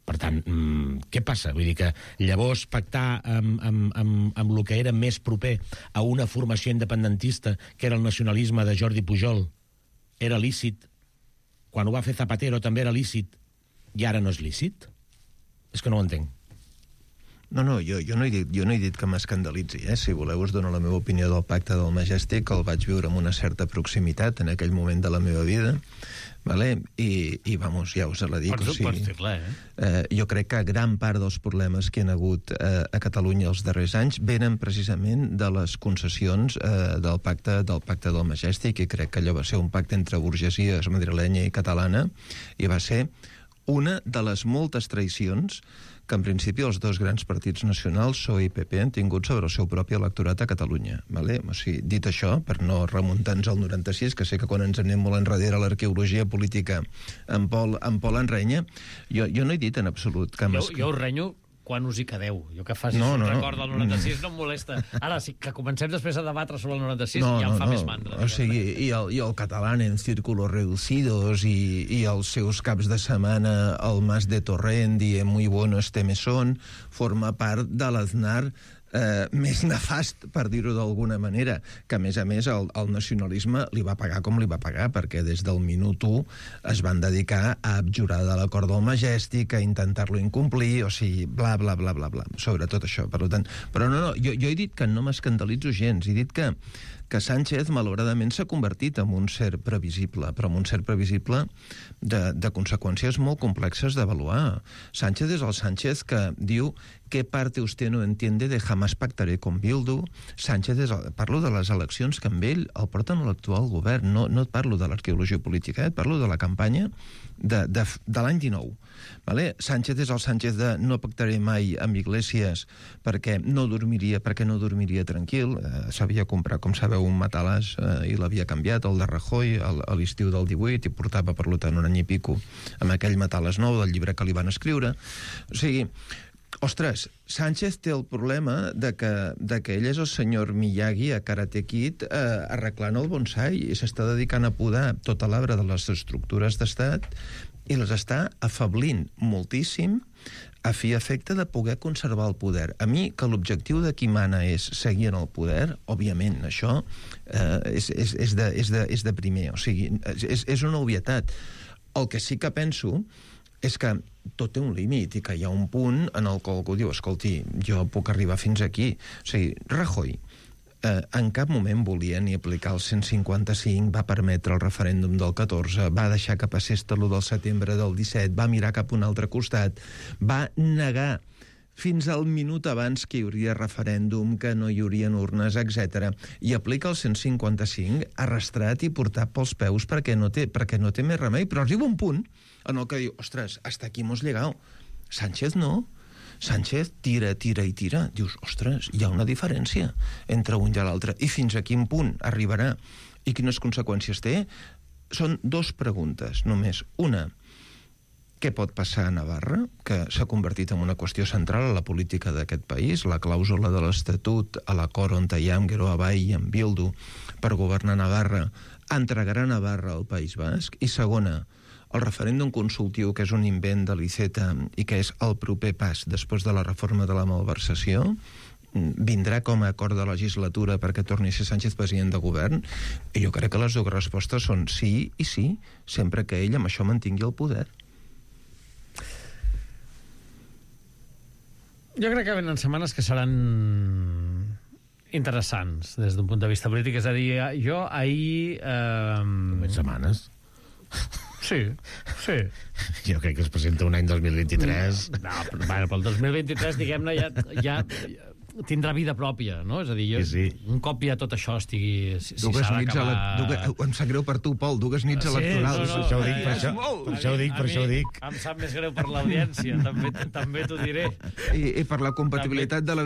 Per tant, mmm, què passa? Vull dir que llavors pactar amb, amb, amb, amb el que era més proper a una formació independentista, que era el nacionalisme de Jordi Pujol, era lícit. Quan ho va fer Zapatero també era lícit. I ara no és lícit? És que no ho entenc. No, no, jo, jo, no he dit, jo no he dit que m'escandalitzi, eh? Si voleu us dono la meva opinió del pacte del Majestic, que el vaig viure amb una certa proximitat en aquell moment de la meva vida, vale? I, i vamos, ja us la dic. Pots, o sigui, pots dir-la, eh? eh? Jo crec que gran part dels problemes que hi ha hagut eh, a Catalunya els darrers anys venen precisament de les concessions eh, del, pacte, del pacte del Majestic, i crec que allò va ser un pacte entre burgesies madrilenya i catalana, i va ser una de les moltes traïcions que en principi els dos grans partits nacionals, P S O E i P P, han tingut sobre el seu propi electorat a Catalunya. Vale? O sigui, dit això, per no remuntar-nos al noranta-sis, que sé que quan ens anem molt enrere a l'arqueologia política en Pol, en Pol en renya, jo, jo no he dit en absolut que... Jo, jo us renyo quan us hi quedeu. Jo que facis no, un no, record del noranta-sis no em molesta. Ara, sí que comencem després a debatre sobre el noranta-sis, no, ja em no, fa no. més mandra. O sigui, i el, i el català en círculos reducidos i, i els seus caps de setmana al Mas de Torrent dient muy bueno este mesón, forma part de l'Aznar eh, més nefast, per dir-ho d'alguna manera, que a més a més el, el nacionalisme li va pagar com li va pagar, perquè des del minut u es van dedicar a abjurar de l'acord del Majestic, a intentar-lo incomplir, o sigui, bla, bla, bla, bla, bla, sobre tot això. Per tant, però no, no, jo, jo he dit que no m'escandalitzo gens, he dit que que Sánchez, malauradament, s'ha convertit en un ser previsible, però en un ser previsible de, de conseqüències molt complexes d'avaluar. Sánchez és el Sánchez que diu ¿qué parte usted no entiende de jamás pactaré con Bildu? Sánchez és el, parlo de les eleccions que amb ell el porten a l'actual govern, no, no et parlo de l'arqueologia política, eh? Et parlo de la campanya de, de, de l'any dinou. Vale? Sánchez és el Sánchez de no pactaré mai amb Iglesias perquè no dormiria, perquè no dormiria tranquil. Eh, S'havia comprat, com sabeu, un matalàs eh, i l'havia canviat, el de Rajoy, a l'estiu del divuit, i portava, per tant, un any i pico amb aquell matalàs nou del llibre que li van escriure. O sigui, ostres, Sánchez té el problema de que, de que ell és el senyor Miyagi a Karate Kid eh, arreglant el bonsai i s'està dedicant a podar tota l'arbre de les estructures d'estat i les està afablint moltíssim a fi efecte de poder conservar el poder. A mi, que l'objectiu de qui mana és seguir en el poder, òbviament, això eh, és, és, és, de, és, de, és de primer, o sigui, és, és una obvietat. El que sí que penso és que tot té un límit i que hi ha un punt en el qual algú diu, escolti, jo puc arribar fins aquí. O sigui, Rajoy eh, en cap moment volia ni aplicar el cent cinquanta-cinc, va permetre el referèndum del catorze, va deixar que passés l'u del setembre del disset, va mirar cap a un altre costat, va negar fins al minut abans que hi hauria referèndum, que no hi haurien urnes, etcètera. I aplica el cent cinquanta-cinc arrastrat i portat pels peus perquè no té, perquè no té més remei. Però arriba un punt en el que diu, ostres, hasta aquí hemos llegado. Sánchez no. Sánchez tira, tira i tira. Dius, ostres, hi ha una diferència entre un i l'altre. I fins a quin punt arribarà? i quines conseqüències té? Són dues preguntes, només. Una, què pot passar a Navarra, que s'ha convertit en una qüestió central a la política d'aquest país, la clàusula de l'Estatut, a l'acord on hi ha amb Geroa Bai i amb Bildu per governar Navarra, entregarà Navarra al País Basc? I segona, el referèndum consultiu, que és un invent de l'Iceta i que és el proper pas després de la reforma de la malversació, vindrà com a acord de legislatura perquè torni a ser Sánchez president de govern? I jo crec que les dues respostes són sí i sí, sempre que ell amb això mantingui el poder. Jo crec que venen setmanes que seran interessants des d'un punt de vista polític. És a dir, jo ahir... Eh... Només setmanes? Sí, sí. Jo crec que es presenta un any dos mil vint-i-tres. No, però, bueno, pel dos mil vint-i-tres, diguem-ne, ja, ja tindrà vida pròpia, no? És a dir, jo, sí, sí. un cop ja tot això estigui... Si, si dues s'ha nits d'acabar... ele... dues... Em sap greu per tu, Pol, dues nits sí, electorals. No, no, això ho dic, per això, per això ho dic, per això ho dic. Em sap més greu per l'audiència, també, també t'ho diré. I, I per la compatibilitat també... de la